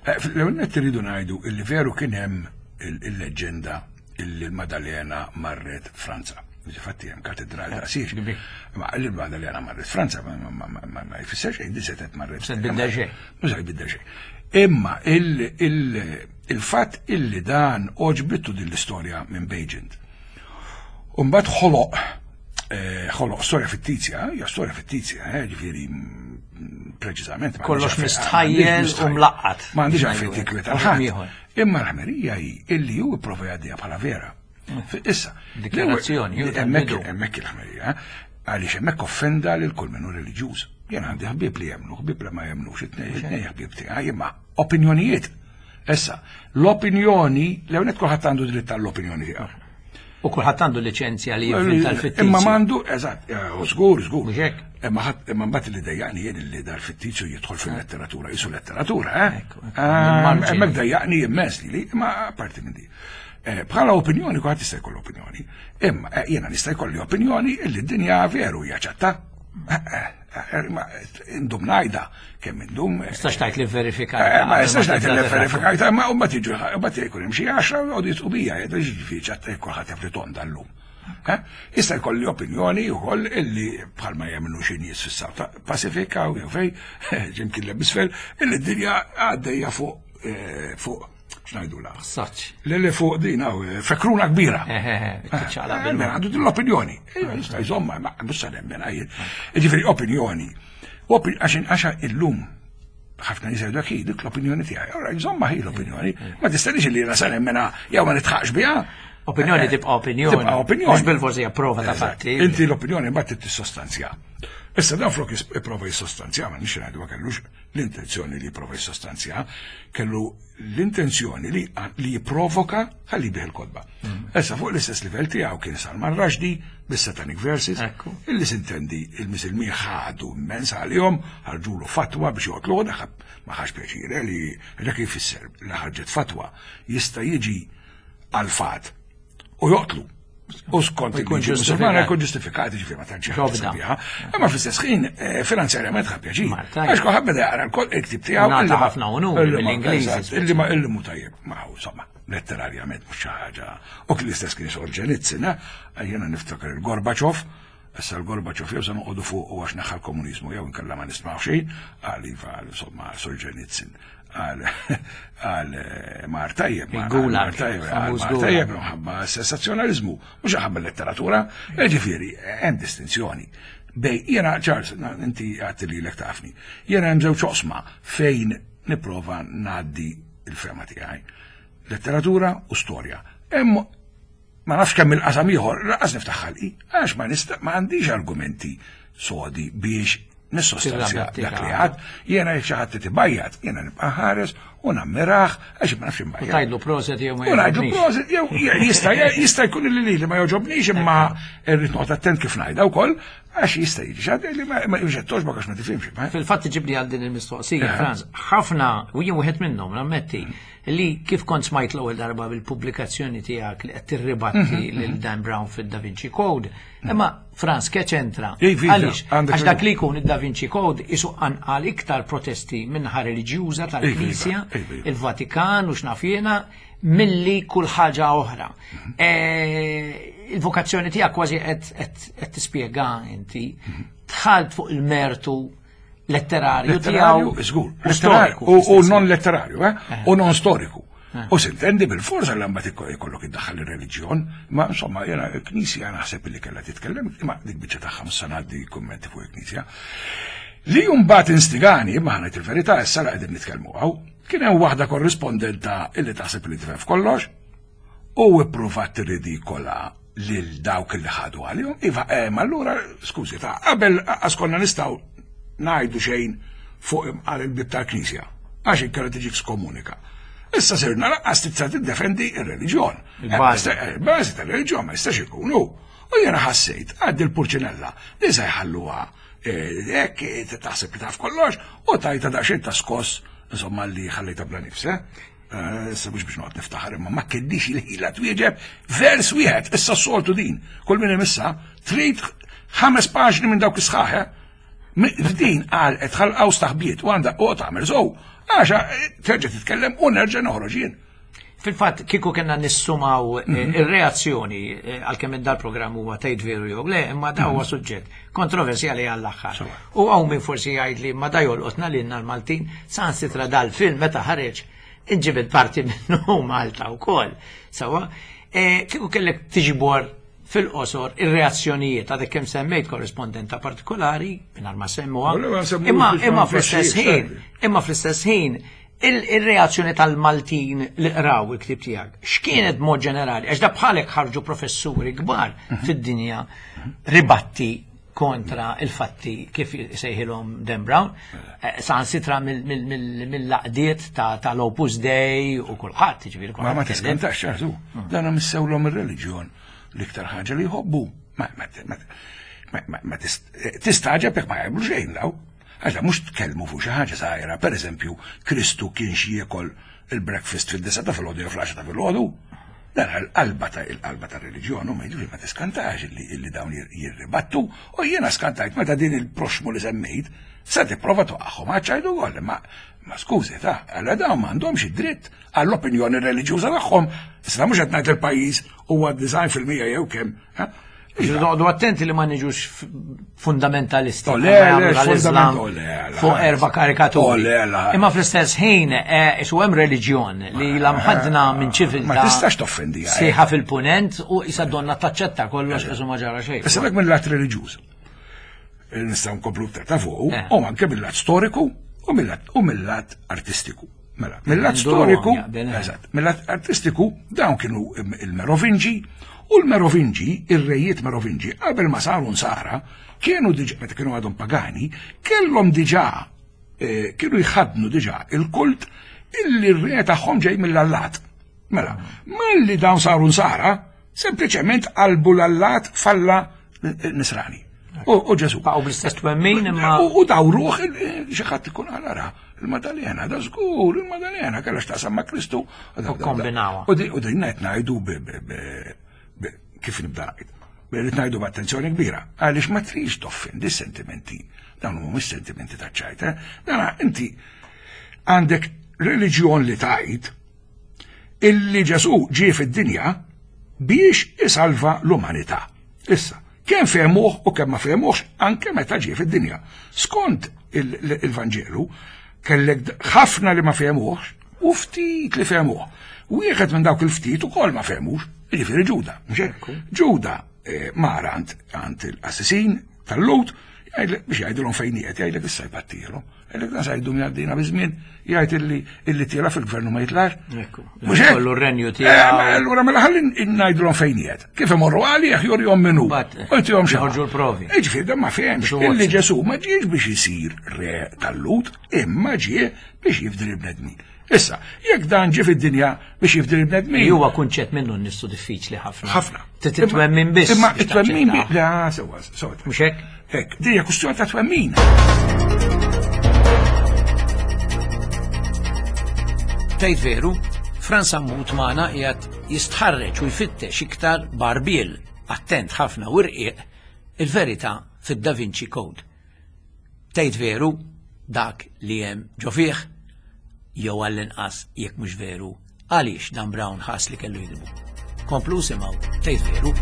eh, l-ewwel nett irridu ngħidu illi veru kien hemm il- il-leġġenda illi l-Madalena marret Franza. Ġifatti hemm katedral ta' sir. Kbir. Ma l-Madalena marret Franza ma- ma- ma ma- ma jfisser xejn, di setgħet marret. Se tbiddel xejn. Mhux se jbiddel xejn. Imma il- il- il-fatt illi dan oġbittu din l-istorja minn Beijing. Umbat ħoloq, eh, ħoloq storja fittizja, hija storja fittizja, eh, ġifieri mm, preċiżament. ma Kollox għandix għalfejn- mistħajjel ma għandix u mlaqqat. Ma għandix Biex għalfejn ngħidu tikwet hekk. għal ħadd. Ieħor. Imma l-ħmerija hi illi hu ipprova jgħaddiha bħala vera. Issa, Dikjarazzjoni, l-ewwel- ju tal-bidu. hemmhekk hemmhekk il-ħmerija, għaliex hemmhekk offenda lil kull min hu reliġjuż. Jien għandi ħbieb li jemnu, ħbieb li ma jemnux, it-tnejn it-tnejn ħbieb tiegħi, imma opinjonijiet. Issa, l-opinjoni, l-ewwel nett kulħadd għandu dritt għall-opinjoni tiegħu. U kulħadd għandu liċenzja li jivvinta l-fittizju. Imma m'għandu, eżatt, eh, żgur, żgur. Mhux hekk? Imma ħadd imma mbagħad li dejjaqni jien li dar fittizju jidħol fil-letteratura, jisu letteratura, eh? Ekku, ekku, Ah, mill-marġini. Hemmhekk dejjaqni immens li, imma apparti minn di. Eh, Bħala opinjoni, kulħadd jista' jkollu opinjoni. Imma eh, jiena nista' jkolli opinjoni illi d-dinja veru hija ċatta. Eh, eh, eh, Ma indum ngħidha kemm indum. eh, Tistax tgħid li verifikajta. Eh, Ma jistax ngħid li verifikajta, ma mbagħad jiġu mbagħad jkun hemm xi għaxra u jgħodu jitqubija, jgħidu ġifieri ċatta jekk kulħadd jaf li tonda llum. Eh? Jista' jkolli opinjoni wkoll illi bħalma jagħmlu xi nies fis-South Pasifika u jew fej, ġimkien l-isfel, illi d-dinja għaddejja fuq eh, fuq x'ngħidula. Saċ. Li li fuq din hawn, eh, fekruna kbira. Eħe, tiċċaqlaq Eh, bil mela, Għandu din l-opinjoni. Ejja, jista' jżomma, ma mhux sa nemmen għajjel. Ġifieri opinjoni. Opi- Għax għaxa illum ħafna nies jgħidu hi dik l-opinjoni tiegħi. Ora, jżomma hi l-opinjoni. Ma tistenniex li jiena sa nemmena jew ma nitħaqx biha. Opinjoni Eh, tibqa' opinjoni. Tibqa' opinjoni. Mhux bil-forsi hija prova ta' Eżatt. fatti. Inti l-opinjoni mbagħad tissostanzja. Issa dan flok jis- ipprova jissostanzja, ma nix ngħidu ma kellux l-intenzjoni li jipprova jissostanzja, kellu l-intenzjoni li li jipprovoka ħalli bih il-kotba. Mm. Issa fuq l-istess livell tiegħu kien Salman Rushdie bis-Satanic Verses, Ekku. illi sintendi il-Misilmin ħadu immens għalihom, ħarġulu fatwa biex joqtlu, dak ma ħax pjaċir li dak jfisser li ħarġet fatwa jista' jiġi għal-fat u joqtlu. U skont U jkun il-liġi musulmana ġustifikat. jkun ġustifikat, ġifieri ma tantx Ġobda. biha. Imma fl-istess ħin eh, finanzjarjament ħa pjaċir. Marta, Għax kulħadd beda jaqra l-kol il-ktib tiegħu. Ngħata illi ma- ħafna unuri illi ma- mill-Ingliżi, eżatt, Illi ma illi mu tajjeb, ma hu insomma, letterarjament mhux xi ħaġa. U kien l-istess kien Solzhenitsyn, eh? Jiena niftakar il-Gorbaċov, issa l-Gorbaċov jew se noqogħdu fuq u għax naħa l-komuniżmu jew inkella ma nismgħu xejn, għal iva għal insomma Solzhenitsyn għal għal eh, mar tajjeb, mar- Il-Gulag, mar tajjeb, għal famuż mar Gulag. tajjeb, minħabba sensazzjonalizmu, mhux ħabba letteratura, ġifieri hemm distinzjoni. Bej, jiena Charles, na- inti għatti li l tafni, jiena hemm żewġ oqsma fejn nipprova ngħaddi il-fema tiegħi. Letteratura u storja. Hemm ma nafx kemm il-qasam ieħor, laqas niftaħ ħalqi, għax ma nista' ma għandix argumenti sodi biex nissostanzja Tirrabatti dak li ta' għad, jiena jekk xi ħadd tibajjat, jiena nibqa' ħares u nammiraħ għax ma nafx U imbajjat. tgħidlu proset jew ma U ngħidu jogħġobnix. proset, jew jista' jista' jkun li li ma joġobnix imma rrid noqgħod attent kif ngħidha wkoll għax jista' jiġi xi ħadd li ma ma toġbok għax ma tifhimx. ma- Fil-fatt ġibli għal din il-mistoqsija, Eh. Franz, ħafna, u jien wieħed minnhom, nammetti, li kif kont smajt l-ewwel darba bil-pubblikazzjoni tiegħek li qed tirribatti Mhm, lil Dan Brown fid-Da Vinci Code, imma Franz ke ċentra. Iva, Għaliex? għandek Għax dak raġun. li jkun id-Da Vinci Code isu qanqal iktar protesti minnaħa reliġjuża tal-Knisja, Iva, iva. il-Vatikan u x'naf jiena, milli kull ħaġa oħra. Mhm. Eh, Il-vokazzjoni tiegħek kważi qed qed- qed tispjega inti dħalt fuq il-mertu letterarju Letterarju, tiegħu żgur, u letterarju storiku u- u fl-istess non letterarju, eh? U non storiku. U sintendi bil-forza li mbagħad ikko- jkollok iddaħħal ir-reliġjon, ma insomma jiena l-Knisja naħseb li kellha titkellem, imma dik biċċa tagħha mhux se ngħaddi kummenti fuq il-Knisja. Li mbagħad instigani, imma ħanajt il-verità issa la qegħdin nitkellmu hawn, kien hemm waħda korrispondenta illi taħseb li tifhem f'kollox u ippruvat tirridikola lil dawk li ħadu għalihom. Iva, eh, ma allura, skużi, ta' qabel qas konna nistgħu ngħidu xejn fuq għal il-bib tal-Knisja, għax inkella tiġik skomunika. Issa sirna laqqas tista' tiddefendi ir-reliġjon. Il-bażi. Eh, Il-bażi tal-reliġjon ma jistax ikunu. U jiena ħassejt għaddi l-purċinella li se jħalluha eh, hekk eh, taħseb li taf kollox u tajta daqsxejn ta' skoss insomma li ħallejta bla nifs, eh? Issa mhux biex noqgħod niftaħar imma ma kellix il-ħila twieġeb vers wieħed, issa s-soltu din. Kull min imissa trid ħames paġni minn dawk is-sħaħ. F'din qal qed ħalqaw staħbiet u għandha u tagħmel sow. Għaxa terġa' titkellem u nerġa' noħroġ jien. Fil-fatt, kieku kellna nissumaw ir-reazzjoni għalkemm dal-programm huwa tgħid veru jew le, imma da huwa suġġett kontroversjali għall-aħħar. U hawn min forsi jgħid li ma da jolqotna lilna l-Maltin, sansitra dal-film meta ħareġ inġibed parti minnu Malta wkoll. Sawa, kieku kellek tiġbor fil-qosor ir-reazzjonijiet għadek kemm semmejt korrispondenta partikolari, mingħajr ma semmuha, imma imma fl-istess ħin, imma fl-istess ħin il-reazzjoni tal-Maltin li qraw il-ktieb tiegħek, x'kienet mod ġenerali? Għax da bħalek ħarġu professuri kbar fid-dinja ribatti kontra il-fatti kif sejħilhom Dan Brown, sansitra mill-laqdiet tal-Opus Dei u kulħadd, jiġifieri Ma ma tiskantax ċertu, dan missewlhom ir-reliġjon l-iktar ħaġa li jħobbu. Ma tistaġeb jekk ma jagħmlu xejn daw. Għax mhux tkellmu fuq xi ħaġa żgħira, pereżempju, Kristu kien xi jiekol il-breakfast fid-disa ta' filgħodu jew fl-għaxra ta' filgħodu. Dan il-qalba ta' il-qalba ta' reliġjon u ma jiġifieri ma tiskantax illi dawn jirribattu u jiena skantajt meta din il-proxmu li semmejt se tipprova toqgħhom għaċ-ċajdu wkoll, ma ma skużi ta' għalla dawn m'għandhomx id-dritt għall-opinjoni reliġjuża tagħhom. Issa mhux qed ngħid il-pajjiż huwa design fil-mija jew kemm. Noqogħdu attenti li ma niġux fundamentalisti fuq erba' karikaturi. Imma fl-istess ħin isu hemm reliġjon li la mħadna minn ċiviltà. Ma tistax toffendi. Sieħa fil-punent u issa donna taċċetta kollox isu ma ġara xejn. Issa dak mill-lat reliġjuż. Nistgħu nkomplu iktar ta' fuq u anke mill-lat storiku u mill-lat artistiku. Mela, mill-lat storiku, eżatt, mill-lat artistiku dawn kienu il-Merovingi. U l-Merovingi, ir-rejiet Merovingi, qabel ma saru nsara, kienu diġà, meta kienu għadhom pagani, kellhom diġà, kienu jħadnu diġà il-kult illi r-re tagħhom ġej mill-allat. Mela, malli dawn saru nsara, sempliċement qalbu l-allat falla nisrani. U Ġesù. Baqgħu bl-istess twemmin imma. U dawruh xi ħadd ikun għal il-Madalena, da żgur, il-Madalena kellha x'taqsam ma' Kristu. U kombinawha. U din qed ngħidu kif nibda ngħid. Rrid ngħidu b'attenzjoni kbira, għaliex ma trix toffendi s-sentimenti. Dawn mhumiex sentimenti taċ-ċajt, eh? Dan inti għandek reliġjon li tgħid illi Ġesù ġie fid-dinja biex isalva l-umanità. Issa, kemm fehmuh u kemm ma fehmuhx anke meta ġie fid-dinja. Skont il-Vanġelu, kellek ħafna li ma fehmuhx u ftit li fehmuh. Wieħed minn dawk il-ftit ukoll ma fehmux, jiġifieri Ġuda. Ġuda mar għand il-qassisin tal-Lut biex jgħidilhom fejn qiegħed, jgħidlek issa jpattilhom. Jgħidlek dan se jdum jgħaddina biż-żmien, jgħid illi illi tiela fil-gvern u ma jitlax. Mhux hekk. Kollu r-renju tiegħu. Allura mela ħalli ngħidilhom fejn qiegħed. Kif imorru għalih jurihom min hu. U jtihom xi Joħorġu l-provi. Jiġifieri dan ma fehemx illi Ġesù ma ġiex biex isir re tal-Lut, imma ġie biex jifdi l-bnedmin. Issa, jekk dan ġie fid-dinja biex jifdi l-bnedmin. Huwa kunċett minnu nnifsu diffiċli ħafna. Ħafna. Titwemmin biss. Imma it-twemmin biss. La, sewwa, sewwa. Mhux hekk? Hekk, din hija kwistjoni ta' twemmin. Tgħid veru, Frans Sammut magħna qiegħed jistħarreġ u jfittex iktar barbiel, attent ħafna u rqiq, il-verità fid-Da Vinci Code. Tgħid veru, dak li hemm ġo fih, jew għall-inqas jekk mhux veru, għaliex Dan Brown ħass li kellu jidbu. Komplu simgħu tgħid veru.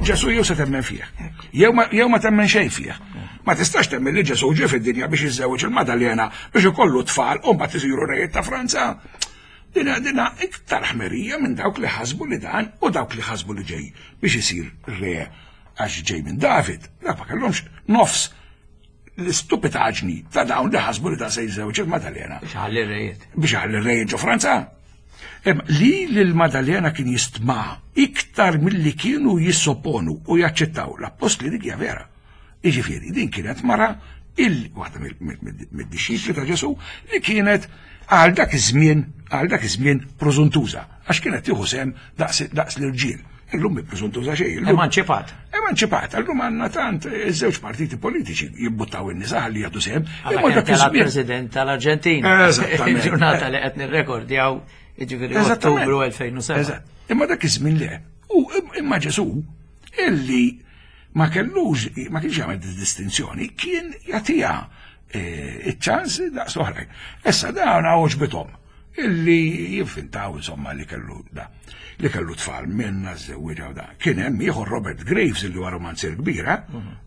Ġesù jew se temmen fih, jew ma, jew ma temmen xejn fih. Ma tistax temmen li Ġesù ġie fid-dinja biex jiżżewweġ il-Madalena biex ikollu tfal u mbagħad isiru rejiet ta' Franza. Dina dina iktar ħmerija minn dawk li ħasbu li dan u dawk li ħasbu li ġej biex isir re għax ġej minn David. Dak ma kellhomx nofs l-istupitaġni ta' dawn li ħasbu li dan se jiżżewweġ il-Madalena. Biex ħalli r-rejiet. Biex ħalli r-rejiet ġo Franza. Li l-Madalena kien jistma' iktar milli kienu jissopponu u jaċċettaw l-appostli dik hija vera. Jiġifieri din kienet mara il waħda mid-dixxipli ta' Ġesù li kienet għal dak iż-żmien għal dak iż-żmien prożuntuża għax kienet tieħu sehem daqs l-irġiel. Illum mi preżuntuża xejn. Emanċipat. Emanċipat. Illum għandna tant iż-żewġ partiti politiċi jibbuttaw in-nisa li jagħtu sehem. Imma dak iż-żmien President tal-Arġentina. Eżattament. Il-ġurnata li qed nirrekordjaw jiġifieri Ottubru elfejn u sebgħa. Eżatt. Imma dak iż-żmien le. U imma Ġesù illi ma kellux, ma kienx jagħmel distinzjoni, kien jagħtiha iċ-ċans daqs oħrajn. Issa dawn għoġbithom illi jivvintaw insomma li kellu da, li kellu tfal minna żewwieġa u da. Kien hemm ieħor Robert Graves illi huwa romanzier kbira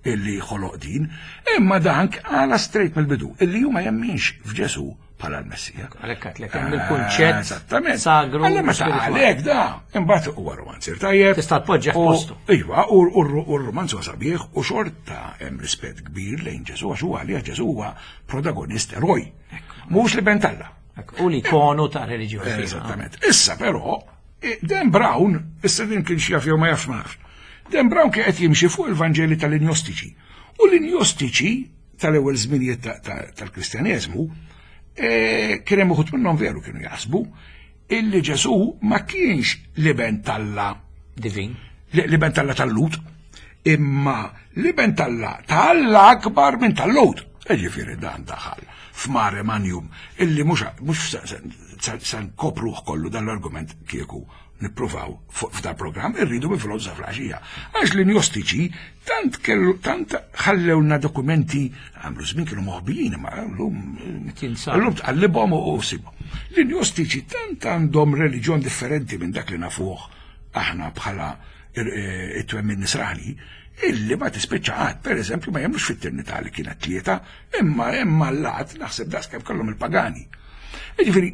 illi ħoloq din, imma dan għala straight mill-bidu illi hu ma jemminx f'Ġesù bħala l-Messija. Għalhekk għedtlek hemm il-kunċett Eżattament. sagru Alla meta spiritwali. għalhekk da, imbagħad huwa romanzier tajjeb. Tista' tpoġġih U- postu. Iva, u r-romanz huwa sabiħ u xorta hemm rispett kbir lejn Ġesù għax huwa għalih Ġesù huwa protagonist eroj. Mhux li ben t'Alla. U l-ikonu ta' reliġjoni. Eżattament. Issa però, Dan Brown, issa din kien xjaf jew ma jafx ma nafx. Dan Brown kien qed jimxi fuq il-Vanġeli tal-Injostiċi. U l-Injostiċi tal-ewwel żminijiet tal-Kristjaneżmu kien hemm uħud minnhom veru kienu jaħsbu illi Ġesù ma kienx l-iben t'Alla divin. L-iben t'Alla tal-Lut, imma l-iben t'Alla t'Alla akbar minn tal-Lut. Ġifieri dan daħal f'mare magnum illi mhux mhux se nkopruh kollu dan l-argument kieku nippruvaw f'dal programm irridu minn filgħodu sa flaxija. Għax l-injostiċi tant kellu tant ħallewna dokumenti għamlu żmien kienu moħbijin imma llum llum tqallibhom u sibhom. L-injostiċi tant għandhom reliġjon differenti minn dak li nafuh aħna bħala it-twemmin nisrani illi ma tispiċċa qatt, per eżempju, ma jemmnux fit-Trinità li kienet tlieta, imma imma l-lat naħseb daqs kemm kellhom il-pagani. Jiġifieri,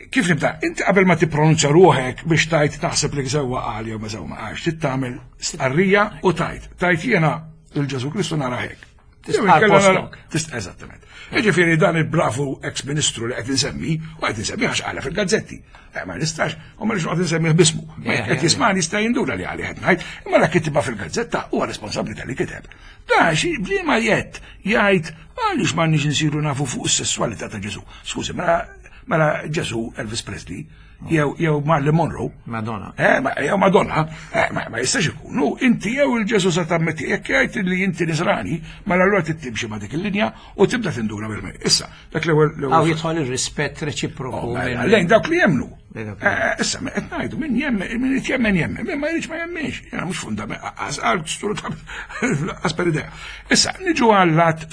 kif nibda? Inti qabel ma tippronunzja ruħek biex tajt taħseb li sewwa qal jew ma sewwa ma qalx, trid tagħmel stqarrija u tajt. Tajt jiena il-Ġesù Kristu nara hekk. Tistqar postok. Tist eżattament. Jiġifieri dan il-bravu ex-ministru li qed insemmi, u qed insemmi għax qala fil-gazzetti. Ma nistax, u ma nix noqgħod insemmih bismu. Ma qed jismani jista' jinduna li għalih qed ngħid, imma dak kitibha fil-gazzetta huwa responsabbli tal-li kiteb. Da xi bliema jett jgħid għaliex m'għandniex insiru nafu fuq is-sesswalità ta' Ġesù. Skużi, mela mela Ġesù Elvis Presley jew jew Marilyn Monroe. Madonna. Eh, ma, jew Madonna, eh, ma, ma jistax ikunu. Inti jew il-Ġesù sa tammetti jekk jgħid li inti nisrani, mela allura trid timxi ma' dik il-linja u tibda tinduna bil Issa, dak l-ewwel Hawn jidħol ir-rispett reċiproku. Lejn dawk li jemmnu. Issa, qed ngħidu min jemmen, min irid jemmen jemmen, min ma jridx ma jemmenx. Jiena mhux fundament, għal għas per idea. Issa, niġu għal-lat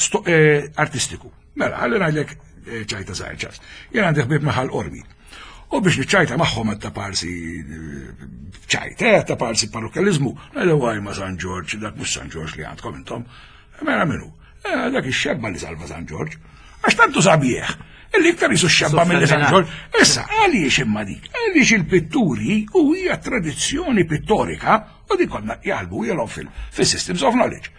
artistiku. Mela, ħalli ngħidlek ċajta żgħir ċas. Jien għandi ħbieb maħal Qormi. U biex niċċajta magħhom ta' parsi ċajta, ta' parsi parrokjaliżmu, ngħidu għaj ma' San Ġorġ, dak mhux San Ġorġ li għandkom intom. Mela minnu, dak ix-xebba li salva San Ġorġ. Għax tantu sabiħ, illi iktar jisu xebba mill San Ġorġ. Issa, għaliex imma dik? Għaliex il-pitturi u hija tradizzjoni pittorika u dik konna jaħlbu jilhom fil-systems of knowledge.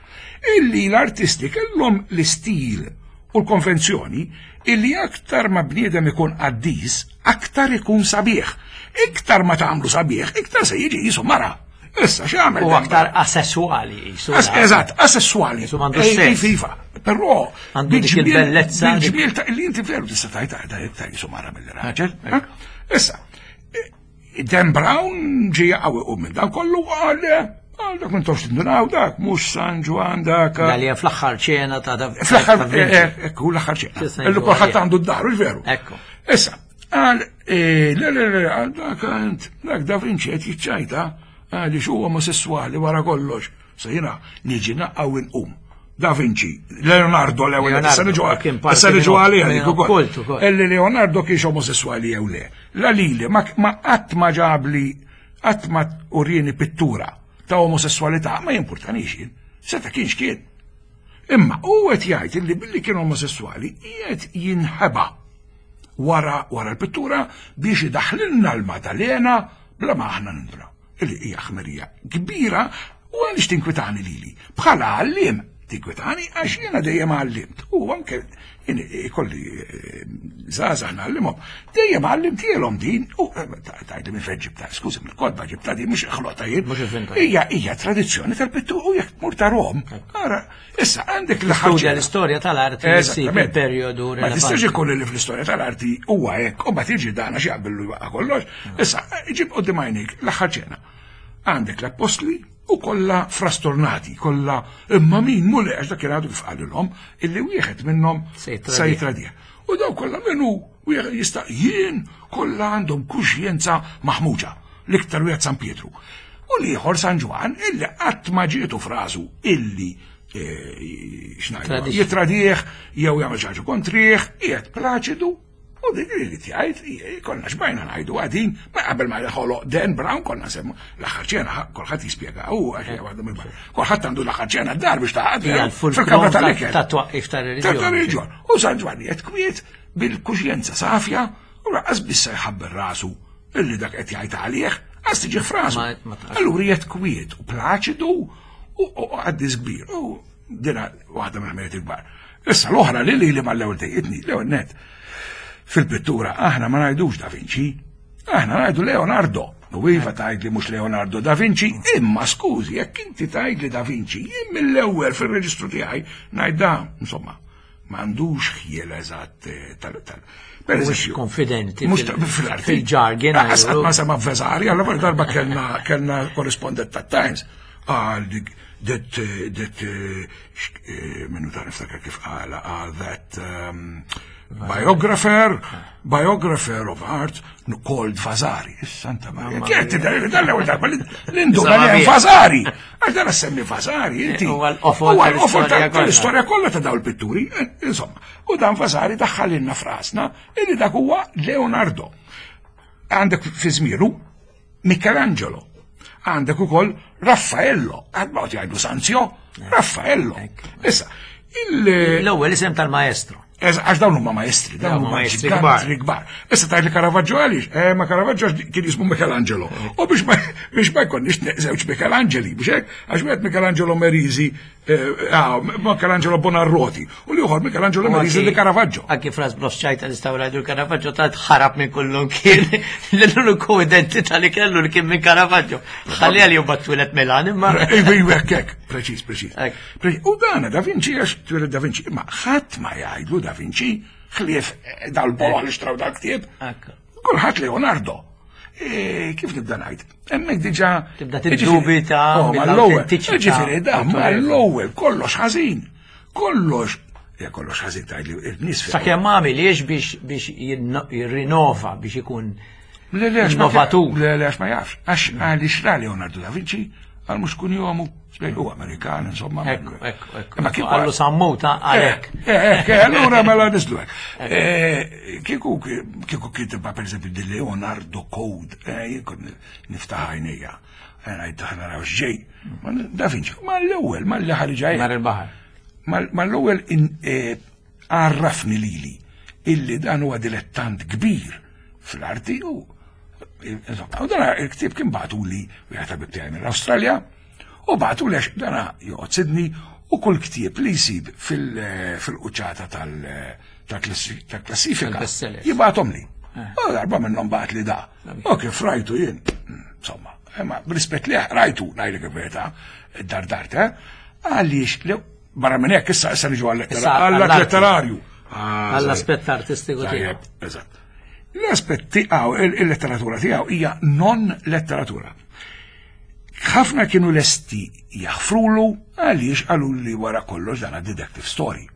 Illi l-artisti kellhom l-istil u l-konvenzjoni illi aktar ma bniedem ikun qaddis, aktar ikun sabiħ. Iktar ma tagħmlu sabiħ, iktar se jiġi jisu mara. Issa x'għamel? U aktar asessuali jisu. Eżatt, asessuali. Jisu m'għandux sess. Iva, però għandu dik il-bellezza. Bil-ġmiel ta' illi inti veru tista' tajt ta' jisu mara mill-raġel. Issa, Dan Brown ġie qawwi u minn dan kollu qal għal dak m'intomx tindunaw dak mhux San Ġwann dak. Dalli fl-aħħar ċena ta' da. Fl-aħħar ekku l-aħħar ċena. Illu kulħadd għandu d-dar, hux veru. Ekku. Issa, qal le le le għal dak għand dak Da Vinci qed jiċċajta għaliex huwa omosessuali wara kollox. Se jiena niġi naqgħu inqum. Da Vinci, Leonardo l-ewwel, issa niġu issa niġu għalih dik ukoll. Illi Leonardo kienx omosessuali jew le. La lili ma qatt ma ġabli qatt ma urieni pittura ta' omosessualità ma jimpurtanix jien. Seta' kienx kien. Imma u qed jgħid illi billi kien omosessuali qiegħed jinħeba wara wara l-pittura biex idaħħlilna l-Madalena bla ma aħna nindra. Illi hija ħmerija kbira u għaliex tinkwitani lili. Bħala għalliem. Tinkwetani għax jiena dejjem għallimt. U anke jien ikolli eh, żgħażagħ ngħallimhom. Dejjem għallimtielhom din u eh, tgħidli minn fejn ġibta, skużi mill-kotba ġibta din mhux ħlota jien. Mhux ivvinta. Hija hija tradizzjoni tal-pittu u jekk tmur tarahom. Ara, issa għandek Studja l-ħaġa. l-istorja tal-arti li ssib Eżattament. il-perjodu Ma tistax rilevanti. ikun li fl-istorja tal-arti huwa hekk, u ma tiġi dana xi jaqbillu jwaqqa kollox. Issa, ġib qudiem għajnejk l-aħħar ċena. Għandek l-appostli u kollha frastornati, kollha imma min Mulej għax dak kien għadu kif qalilhom illi wieħed minnhom Se jitradih. se jitradih. U daw kollha minnu wieħed jista' jien kollha għandhom kuxjenza maħmuġa, l-iktar wieħed San Pietru. U l-ieħor San Ġwan illi qatt ma ġietu f'rasu illi eh, x'ngħidu, Tradixxi. jitradih jew jagħmel xi ħaġa kontrih, qiegħed plaċidu u dik li tgħid konna xbajna ngħidu għadin, ma qabel ma ħoloq Dan Brown konna semmu l-aħħar ċena kulħadd jispjega u għax hija waħda mill Kulħadd għandu l-aħħar ċena d-dar biex taħad Hija l-fulkrum fil-kamra tal-ikel. ta' twaqqif tar-reliġjon. Tal-reliġjon. U San Ġwanni qed kwiet bil-kuxjenza safja u lanqas bissa jħabber rasu illi dak qed jgħid għalih, għas tiġi f'rasu. Ma- ma taqax. Allura qiegħed kwiet u plaċidu u u għaddis kbir. U dina waħda mill-ħmeriet il-kbar. Issa l-oħra li li li mal-ewwel dejqitni, l-ewwel net. Fil-pittura aħna ma ngħidux Da Vinci, aħna ngħidu Leonardo. U iva tgħid li mhux Leonardo da Vinci, imma skużi, jekk inti tgħid li Da Vinci, jien mill-ewwel fil-reġistru tiegħi ngħid da, insomma, m'għandux ħjiel eżatt eh, tal tal. Per Mhux eżempju, konfidenti mhux fil- ta- fil-arti. fil-jargon, Lanqas għajru. qatt ma sema Vasari, allora darba kellna kellna korrispondent ta' Times. Qal dik that eh, that eh, x- eh, minnu ta' niftakar kif qala qal that um, biographer biographer of art called Vasari. Santa Maria. Kienet tidher dan l-ewwel darba li l-induna li hemm Vasari. Għax dan semmi Vasari, inti. Huwa l-qofol Huwa l-qofol tal-istorja kollha. tal-istorja kollha ta' dawn il-pitturi. Eh, Insomma, u dan Vasari daħħalilna f'rasna illi dak huwa Leonardo. Għandek fi żmienu Michelangelo. Għandek ukoll Raffaello. Għad jgħidu Sanzio, Raffaello. Issa, il- L-ewwel isem tal-maestro. Ez- Għax dawn huma maestri, dawn Dawn huma maestri maestri kbar. Issa tgħid li Caravaggio għaliex? Eh, ma Caravaggio għax kien jismu Michelangelo. U biex ma biex ma jkollniex żewġ Michelangeli, biex hekk, għax wieħed Michelangelo Merisi, eh, ah, Michelangelo Buonarroti, u l-ieħor Michelangelo Merisi di Caravaggio. Anki fras Brosċajta nistgħu ngħidu l-Caravaggio tant ħarab minn kullum kien l-uniku identità li kellu li kien minn Caravaggio. Ħalli għal jubbat twilet Milan imma. Iva, iva, hekk, hekk, preċiż, preċiż. Hekk. Preċiż. U dana Da Vinci, għax twieled Da Vinci, imma ħadd ma jgħidlu Da Vinci, ħlief eh, dal-boloh li xtraw dal-ktieb. Ekku. Kulħadd Leonardo. E, kif nibda ngħid? Hemmhekk diġà Tibda tiddubita Oh, mal-ewwel. mill-awtentiċità. Ġifieri da mal-ewwel kollox ħażin. Kollox, ja kollox ħażin tgħidli il-nies fi- Sakemm ma għamiliex biex biex jinno- jirrinova biex ikun Le, le, għax ma- innovatur. Le, le, għax ma jafx. Għax għaliex ra Leonardo da Vinci, għal mhux kun jomu. U Amerikan, insomma. Ekku, ekku, ekku. Imma kieku- Għallu sammuta għalek. Eh, eh, eh, allura mela nislu hekk. Eh, Kieku kieku kitba per eżempju di Leonardo Code, eh, jien kont niftaħ għajnejja. Eh, Ngħid aħna naraw x'ġej. Ma Da Vinci, ma l-ewwel, ma l ħarġa Mar il-baħar. Ma l-ewwel in- eh, għarrafni lili illi dan huwa dilettant kbir fl-arti u insomma, u dan il-ktieb kien bagħtu li wieħed ħabib tiegħi mill-Awstralja u bagħtu li għax dana joqgħod Sydney u kull ktieb li jsib fil- fil-quċċata tal- tal-klassi- tal-klassifika Tal-bestsellers. jibgħathom li. U darba minnhom bagħat li da. U kif rajtu jien, insomma, imma b'rispett li rajtu ngħidlek il-verità, dardart, eh? Għaliex li barra minn hekk issa issa niġu Issa għall għall-arti. letterarju. Ah, Għall-aspett artistiku tiegħu. Tajjeb, eżatt. L-aspett tiegħu, il-letteratura tiegħu hija non letteratura. Ħafna kienu lesti jaħfrulu għaliex qalu li wara kollox dan detective story.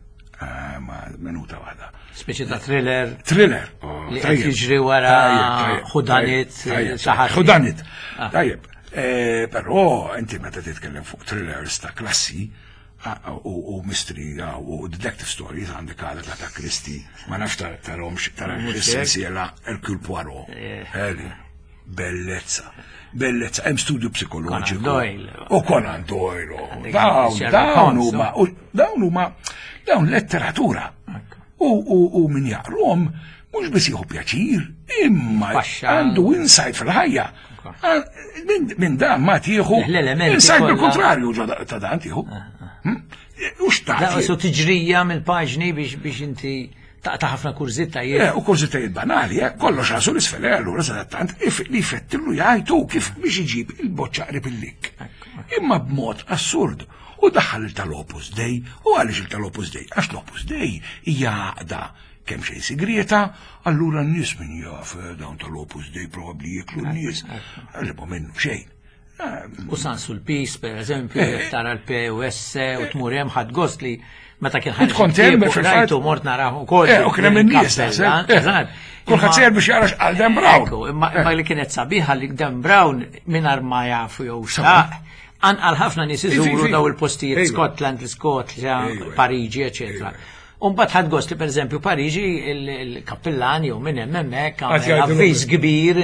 Ah, ma minuta waħda. Speċi ta' thriller. Thriller. Oh, Li qed tajjeb. jiġri wara Tajjeb, tajjeb, ħudanit, tajjeb, xi ħadd. Ħudanit. Ah. Tajjeb. Eh, Però inti meta titkellem fuq thrillers ta' klassi ah, u u mystery ah, u detective stories għandek għadha ta' ta' Christie, ma nafx ta' tarahomx tara Mhux hekk. sensiela Hercule Poirot. Eh. Eli, bellezza. Bellezza, hemm studju psikoloġiku. Conan Doyle. U Conan Doyle. u Għandek Dawn, Sherlock dawn Holmes, huma, u dawn huma, dawn letteratura. U, u, u min jaqrom, mhux biss jieħu pjaċir, imma Paxxa. għandu insight fil-ħajja. Ah, Minn min dan ma tieħu. L-elementi Insajt kollha. bil-kontrarju ġo da- ta' dan tieħu. Hmm? U Da, xtaqt. su tiġrija mill-paġni biex biex inti taqta' ħafna kurżitajiet. Eh, u kurżitajiet banali, eh, kollox rasu l-isfel, eh, allura sadattant, if- li fettillu jgħajtu kif biex iġib il-boċċa qrib il-lik. Imma b'mod assurd. U daħħal il tal-Opus Dei, u għaliex il tal-Opus Dei? Għax l-Opus Dei hija għaqda kemm xejn sigrieta, allura n-nies min jaf eh, dawn tal-Opus Dei probabbli jiklu n-nies. Għalli minnu xejn. Eh, U San Sulpice, per eżempju, Eh, jekk tara l-P u S u tmur hemm ħadd gost li meta kien U tkont hemm ktieb u fil-fatt. rajtu mort naraħ ukoll. Eh, u kien hemm in-nies, il-kappella, naħseb. Eh, eżatt. Kulħadd Imma- sejjer biex jara x'qal Dan Brown. Ekku, imma imma li kienet sabiħa li Dan Brown mingħajr ma jafu jew xtaq. Anqal ħafna nies Ifi, iżuru ifi. daw il-postijiet Ejwa. Scotland, l-Skozja, Ejwa. Pariġi, eċetera. Umbat ħad gost li per eżempju Pariġi il-kappellan jew minn hemm hemmhekk Għad għamel jgħidu avviż kbir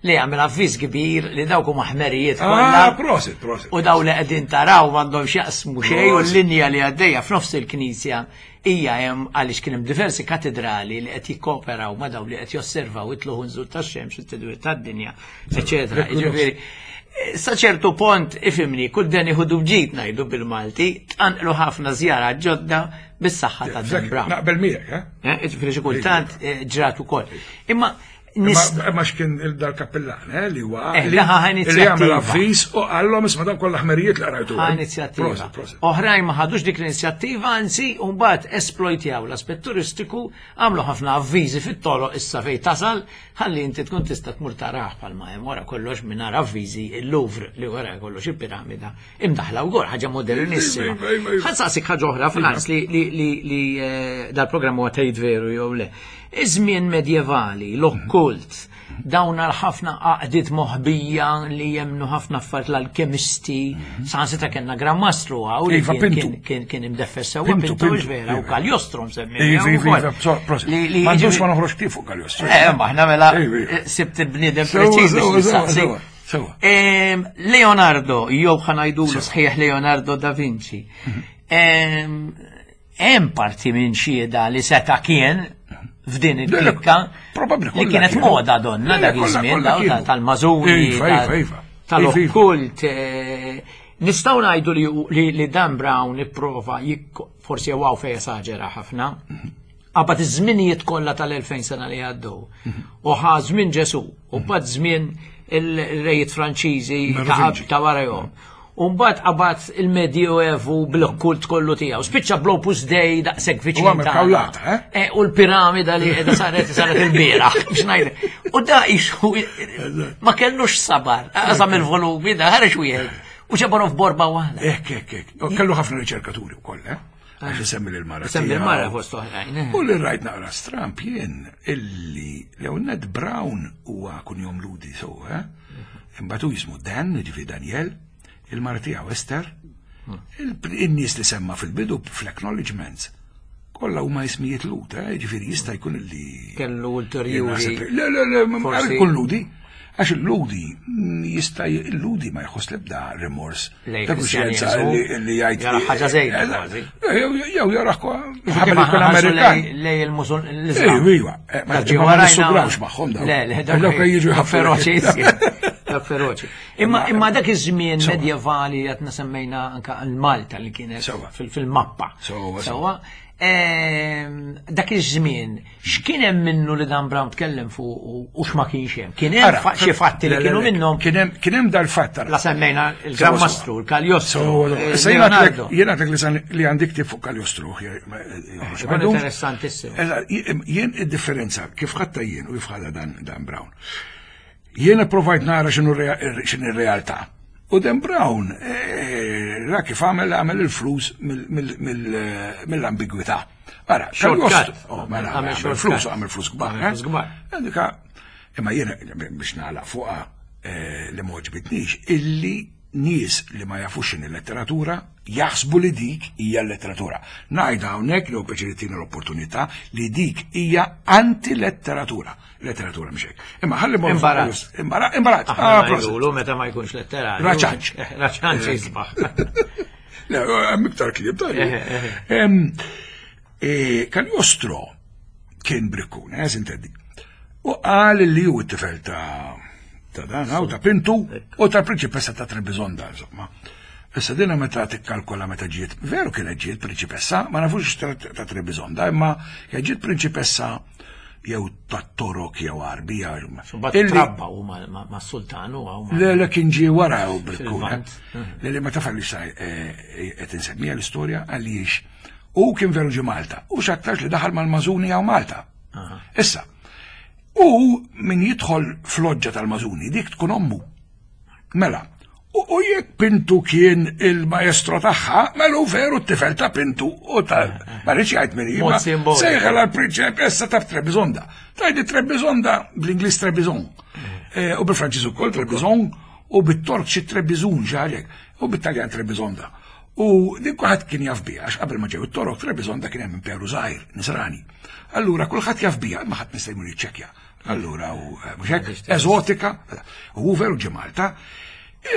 li għamel avviż kbir li dawk huma ħmerijiet Ah, kollha. prosit, prosit. U daw li qegħdin taraw m'għandhom x'jaqsmu xejn u Prosit. l-linja li għaddejja f'nofs il-knisja hija hemm għaliex kien hemm diversi katedrali li qed jikkooperaw ma' daw li qed josservaw it-tluħ nżul tax-xemx, it-tidwir tad-dinja, eċetera. Jiġifieri, sa ċertu pont ifimni, kull dan iħudu bġid ngħidu bil-Malti, tqanqlu ħafna żjara ġodda bis-saħħa ta' Dan Brown. Naqbel miegħek, eh? Eh, Jiġifieri xi kultant eh, ġrat ukoll. Imma nis Ma ma x'kien il-dal kappellan, eh, li huwa Eh, li daħa li inizjattiva. għamel avviż u qallhom isma' dawn kollha ħmerijiet li qrajtu. ħa inizjattiva. Prosit, prosit. Oħrajn ma ħadux dik l-inizjattiva, anzi, mbagħad esploitjaw l-aspett turistiku, għamlu ħafna avviżi fit-toroq issa fejn tasal, ħalli inti tkun tista' tmur taraħ bħalma hemm wara kollox mingħajr avviżi il-Louvre li wara kollox il-piramida imdaħla wkoll ħaġa modernissima. Iva, iva, iva. Ħa nsaqsik ħaġa oħra Frans li li li li eh, dal-programm huwa tgħid veru jew le. Iż-żmien medjevali, l-okkult, dawn għal ħafna għaqdiet moħbija li jemnu ħafna affarijiet l-alkemisti, saħansitra kellna Gran Mastru għaw li Iva, kien- Pintu. kien- kien kien imdeffes sewwa Pintu, Pintu Pintu, vera u iva. Cagliostro msemmi. Iva, iva, iva, so, prosit. Li li Ma ndux jiġifieri- ma noħroġ ktif fuq Cagliostro. Eh, ma aħna mela Iva, iva. eh, sibt il-bniedem Sewa, preċiż sewa, biex sewa, nistaqsi. sewa, sewa. Em, Leonardo, jew ħanajdulu sħiħ Leonardo da Vinci. Em, Hemm parti minn xieda li seta' kien f'din il-klikka Probabbli li kollha kienet kienu. moda donna Le, dak kollha- iż-żmien kollha daw ta' kienu. tal-mażuni, Iva, tal- iva, iva. tal-okkult. eh, Nistgħu ngħidu li- li li Dan Brown ipprova jikko- forsi għaw fej esaġera ħafna. Qabad iż-żminijiet kollha tal-elfejn sena li għaddew. U ħa żmien Ġesu, u mbagħad żmien il-rejiet Franċiżi ta' Merovingi. ta' warahom. U mbagħad qabad il-Medioevu bl-okkult kollu tiegħu. Spiċċa bl-Opus Dei daqshekk viċin U għamel tagħna. kawlata, eh? Eh, u l-piramida li qiegħda saret saret il-bieraħ biex ngħid. U da ixu ma kellux sabar. Qasam il-volumi da ħareġ wieħed. U ġabarhom f'borba waħda. Ek, ek, ek. U kellu ħafna riċerkaturi wkoll, eh? Għax isemmi lil-mara. Semmi tiegħu. l-mara fost oħrajn. eh. U li rajt naqra stramp jien illi Leonard Brown huwa kunjom Ludi so, eh? Imbagħad hu jismu Dan, ġifi Daniel, il-mara tiegħu Esther, il- in-nies li semma fil-bidu fl-acknowledgements, kollha huma ismijiet Lud, eh? Ġifieri jista' jkun illi Kellu Jien ulterjuri. naħseb li- Le, le, le, ma Forsi- jkun Ludi. Għax il-Ludi mm, jista' il-Ludi ma jħoss l-ebda rimors. Lej Ta' kuxjenza Kristjaneżmu, li li jgħid. jara ħaġa żejda Eh, kważi. Jew jew jara Kif ħabel aħna jkun ħarsu Amerikan. lej- lej il-Musul l-Islam. Ejwa, ejwa. Eh, Ma Ta' ġie ma warajna- nissugrawx magħhom dawn. Le, le, Dawk jiġu dawk jħaffu. feroċi. Dawk feroċi. Imma imma dak iż-żmien Sewa. medjevali qed semmejna anka l-Malta li kienet Sewa. fil- fil-mappa. Sewa, Sewa. Ehm, Dak iż-żmien x'kien hemm minnu li Dan Brown tkellem fuq u- u x'ma kienx hemm? Kien hemm Ara, fa- xi fatti li le, le, kienu le, minnhom Kien hemm kien hemm dal-fatt ara. la semmejna il-Gran Sewa, sewa. Mastru, il-Cagliostro, So, eh, issa jiena għatlek- Leonardo. jiena għatlek li san- li għandi ktib fuq Cagliostro. je- ma- joħroġ Ikun ma jdumx. interessantissimo. Eżatt, jien id-differenza kif ħatta jien u kif ħadha Dan, Dan Brown. Jien provajt nara x'inhu rea- x'inhi r-realtà. U Dan Brown eh, ra kif għamel għamel il-flus mill- mill- mill- eh, mill-ambigwità. Ara, Shortcut. Cagliostro- oh, mela, Għamel għamel shortcut. flus, għamel flus kbar. Għamel flus eh? kbar. Dika, imma jiena biex nagħlaq fuqha eh, li ma għoġbitnix, illi nies li ma jafux x'inhi letteratura jaħsbu li dik hija l-letteratura. Ngħid hawnhekk li hu pjaċir tina l-opportunità li dik hija anti-letteratura. Letteratura mhux hekk. Imma ħalli mmorru fuq Imbarazz. Cagliostro. Imbara- Imbarazz. Aħna Ah, prosit. ngħidulu meta ma jkunx letterarju. Raċanċ. Eh, Raċanċ jisbaħ. Le, hemm iktar klieb ta' Eh, eh, Em, eh, Cagliostro kien brikkun, eh, sintendi. U qal li hu t-tifel ta' Ta' dan hawn ta' Pintu u tal-prinċipessa ta' Trebizonda, insomma. Issa dina meta tikkalkola meta ġiet, veru kienet ġiet prinċipessa, ma nafux ta' ta' Trebizonda, imma kienet ġiet prinċipessa jew ta' Torok jew Arbija. Mbagħad Illi- trabba u ma- ma- mas-sultan u ma' Le, le kien ġie wara u bil-kun. Fil-Lvant. Le, le, ma taf għaliex sa qed insemmija l-istorja għaliex u kien veru ġie Malta u x'aktarx li daħal mal-Mażuni hawn Malta. Issa, u min jidħol fl-loġġa tal-Mażuni dik tkun ommu. Mela, u, u jekk Pintu kien il-maestro tagħha, mela hu veru t-tifel ta' Pintu u ta' ma rridx jgħid min hi, Mod ma simboliku. sejħel għal-prinċepessa ta' Trebizonda. Tajdi Trebizonda bl-Ingliż Trebizond. Eh, U bil-Franċiż ukoll Trebizond u bit-Tork xi Trebizun ġalek u bit-Taljan Trebizonda. U din kulħadd kien jaf biha għax qabel ma ġew it-Torok Trebizonda kien hemm imperu żgħir, Nisrani. Allura kulħadd jaf biha, ma ħadd nista' jmur jiċċekkja. Allura u eh, mhux hekk, eżotika, u hu veru ġie Malta.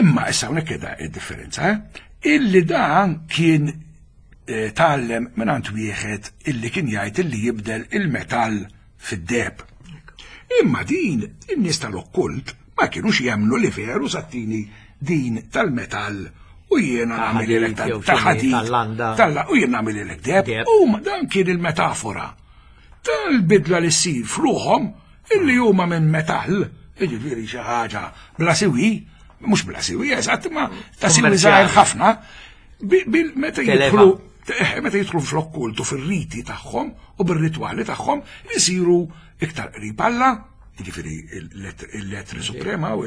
Imma issa hawnhekk qiegħda id-differenza, eh? Illi dan kien eh, tgħallem minn wieħed illi kien jgħid illi jibdel il-metall fid-deheb. Imma din in-nies tal-okkult ma kienux jemmnu li veru sattini din tal-metall u jiena Ta' nagħmel ħadid jew ta' xini, ħadid tal-landa. tal- u jien nagħmel deheb. Deheb. U ma dan kien il-metafora tal-bidla li ssir f'ruħhom illi huma minn metall, jiġifieri xi ħaġa bla siwi, mhux bla siwi, eżatt, ma ta' siwi Kummerċjali. żgħir ħafna, bi- bil- meta Televa. jidħlu eh, meta jidħlu fl-okkultu fir-riti tagħhom u bir-ritwali tagħhom isiru iktar qrib Alla, jiġifieri il-lettri suprema u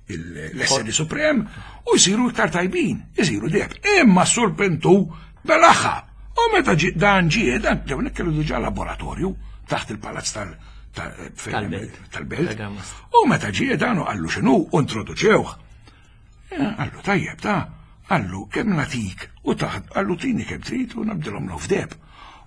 l-esseri suprem, u jsiru iktar tajbin, jsiru deheb. Imma s-sur Pintu belaħa. U meta ġi- dan ġie, dan ġew kellu diġà laboratorju taħt il-palazz tal- tal- fejn hemm- Tal-belt. tal-belt. Tal-Gran U meta ġie dan u qallu x'inhu u introduċewh. Eh, Qallu tajjeb ta' qallu kemm natik u taħt qallu tini kemm trid u nabdilhom l f'deheb.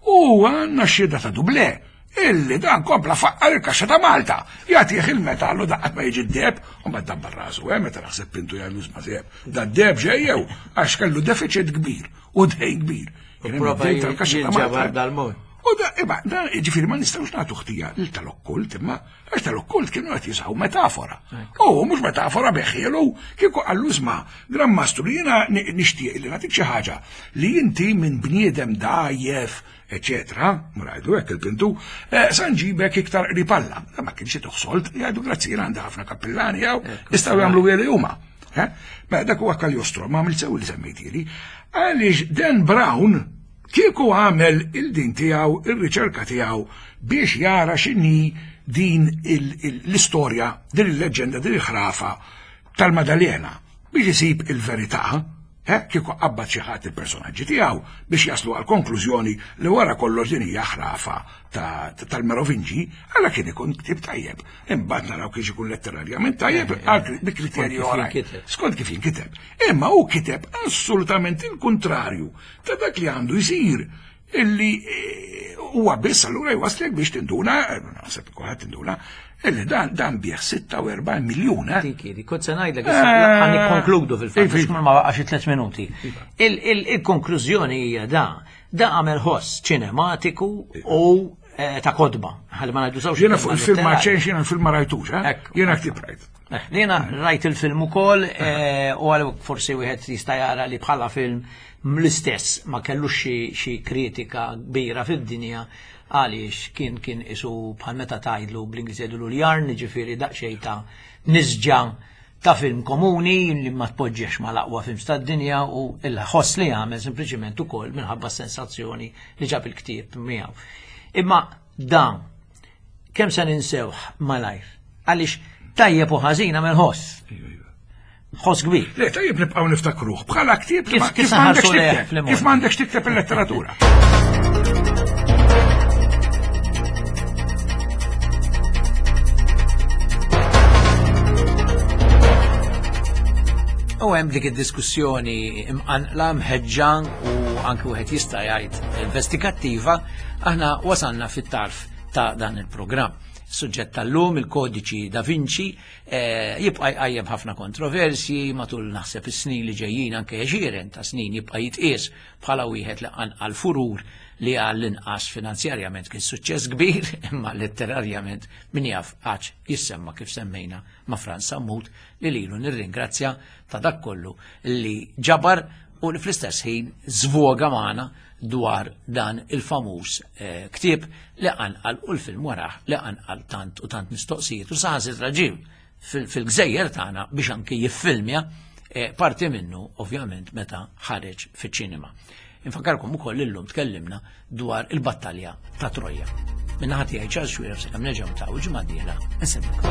U għandna xhieda ta' Dublé illi dan kompla faqqar il-kaxxa ta' Malta. Jagħtih il-metallu daqqat ma jiġi d-deheb u ma dabbar rasu, eh, meta naħseb Pintu jgħidlu ma seb. Da d-deheb ġejjew għax kellu deficit kbir u dejn kbir. Kien hemm prova id-dejn tal-kaxxa ta' jinġabar Malta. dal-mod. U da, imma, da, ġifiri ma nistawx nagħtu ħtija lil tal-okkult, imma għax tal-okkult kienu qed jużaw metafora. U mhux metafora beħielu, kieku qallu isma' Gran Mastru jiena ni- nixtieq li nagħtik xi ħaġa li inti minn bniedem dajjef, eċetera, mrajdu hekk il-Pintu, eh, sa nġibek iktar qrib Alla. Da ma kienx toħsolt, jgħidu grazzi jiena għandi ħafna kappillani jew jistgħu jagħmlu li huma. Eh? Ma dak huwa Cagliostro, ma għamilt sew li semmejtieli. Għaliex Dan Brown kieku għamel il-din tiegħu, il-riċerka tiegħu biex jara x'inhi din il- il- l-istorja, din il-leġenda, din il-ħrafa tal-Madalena biex isib il-verità, eh, kieku qabbad xi ħadd il-personaġġi tiegħu biex jaslu għal konklużjoni li wara kollox din hija ħrafa ta- ta- tal-Merovingi, għala kien ikun ktib tajjeb. Imbagħad naraw kiex ikun letterarjament tajjeb għal bi kriterji Skont kif oħrajn. jinkiteb. Skont kif jinkiteb. Imma hu kiteb assolutament il-kontrarju ta' dak li għandu jsir illi eh, huwa biss allura jwaslek biex tinduna, eh, naħseb kulħadd tinduna, illi dan dan bieħ sitta u erbgħin miljun, eh? Dik, dik, kont se ngħidlek issa ħa nikkonkludu fil-fatt, Iva, għax ma baqax xi tliet minuti. Il- il- Il-konklużjoni hija da, da għamel ħoss ċinematiku u eh, ta' kotba. Ħalli ma ngħidu sewx. Jiena fuq il-film ma ċenx, jiena l-film ma rajtux, eh? Ekku. Jiena ktib rajt. Eh, Jiena rajt il-film ukoll eh, u għal forsi wieħed jista' jara li bħala film l-istess ma kellux xi- xi kritika kbira fid-dinja għaliex kien kien isu bħal meta tgħidlu bl-Ingliż jgħidulu l-yarn, ġifieri daqsxejn ta' nisġa ta' film komuni li ma tpoġġiex ma l-aqwa films tad-dinja u il-ħoss li għamel sempliċiment ukoll minħabba sensazzjoni li ġab il-ktieb miegħu. Imma dan kemm se ninsewh malajr? Għaliex tajjeb u ħażin għamel ħoss. Ħoss kbir. Le, tajjeb nibqgħu niftakruh bħala ktieb li Kif- ma- kif kif m'għandekx saħarsu lejh tikteb, fl-imgħoddi. kif m'għandekx tikteb il-letteratura. U hemm dik id-diskussjoni imqanqla mħeġġa u anke wieħed jista' jgħid investigattiva, aħna wasalna fit-tarf ta' dan il-programm. Suġġett tal-lum, il-Kodiċi Da Vinci, eh, jibqa' jqajjem ħafna kontroversji matul naħseb is-snin li ġejjin, anke għexieren ta' snin jibqa' jitqies bħala wieħed li qanqal furur li għall-inqas finanzjarjament kien suċċess kbir, imma letterarjament min jaf għax jissemma kif semmejna ma' Frans Sammut, li lilu nirringrazzja ta' dak kollu li ġabar u li fl-istess ħin żvoga magħna dwar dan il-famuż eh, ktieb li qanqal u l-film warah li qanqal tant u tant mistoqsijiet u saħansitra ġie fil-gżejjer tagħna biex anki jiffilmja eh, parti minnu, ovvjament, meta ħareġ fiċ-ċinema. Infakkarkom ukoll illum tkellimna dwar il-battalja ta' Troja. Min-naħa tiegħi, Charles Xuereb, sakemm nerġgħu ta' ġimgħa dieħla, insemmilkom.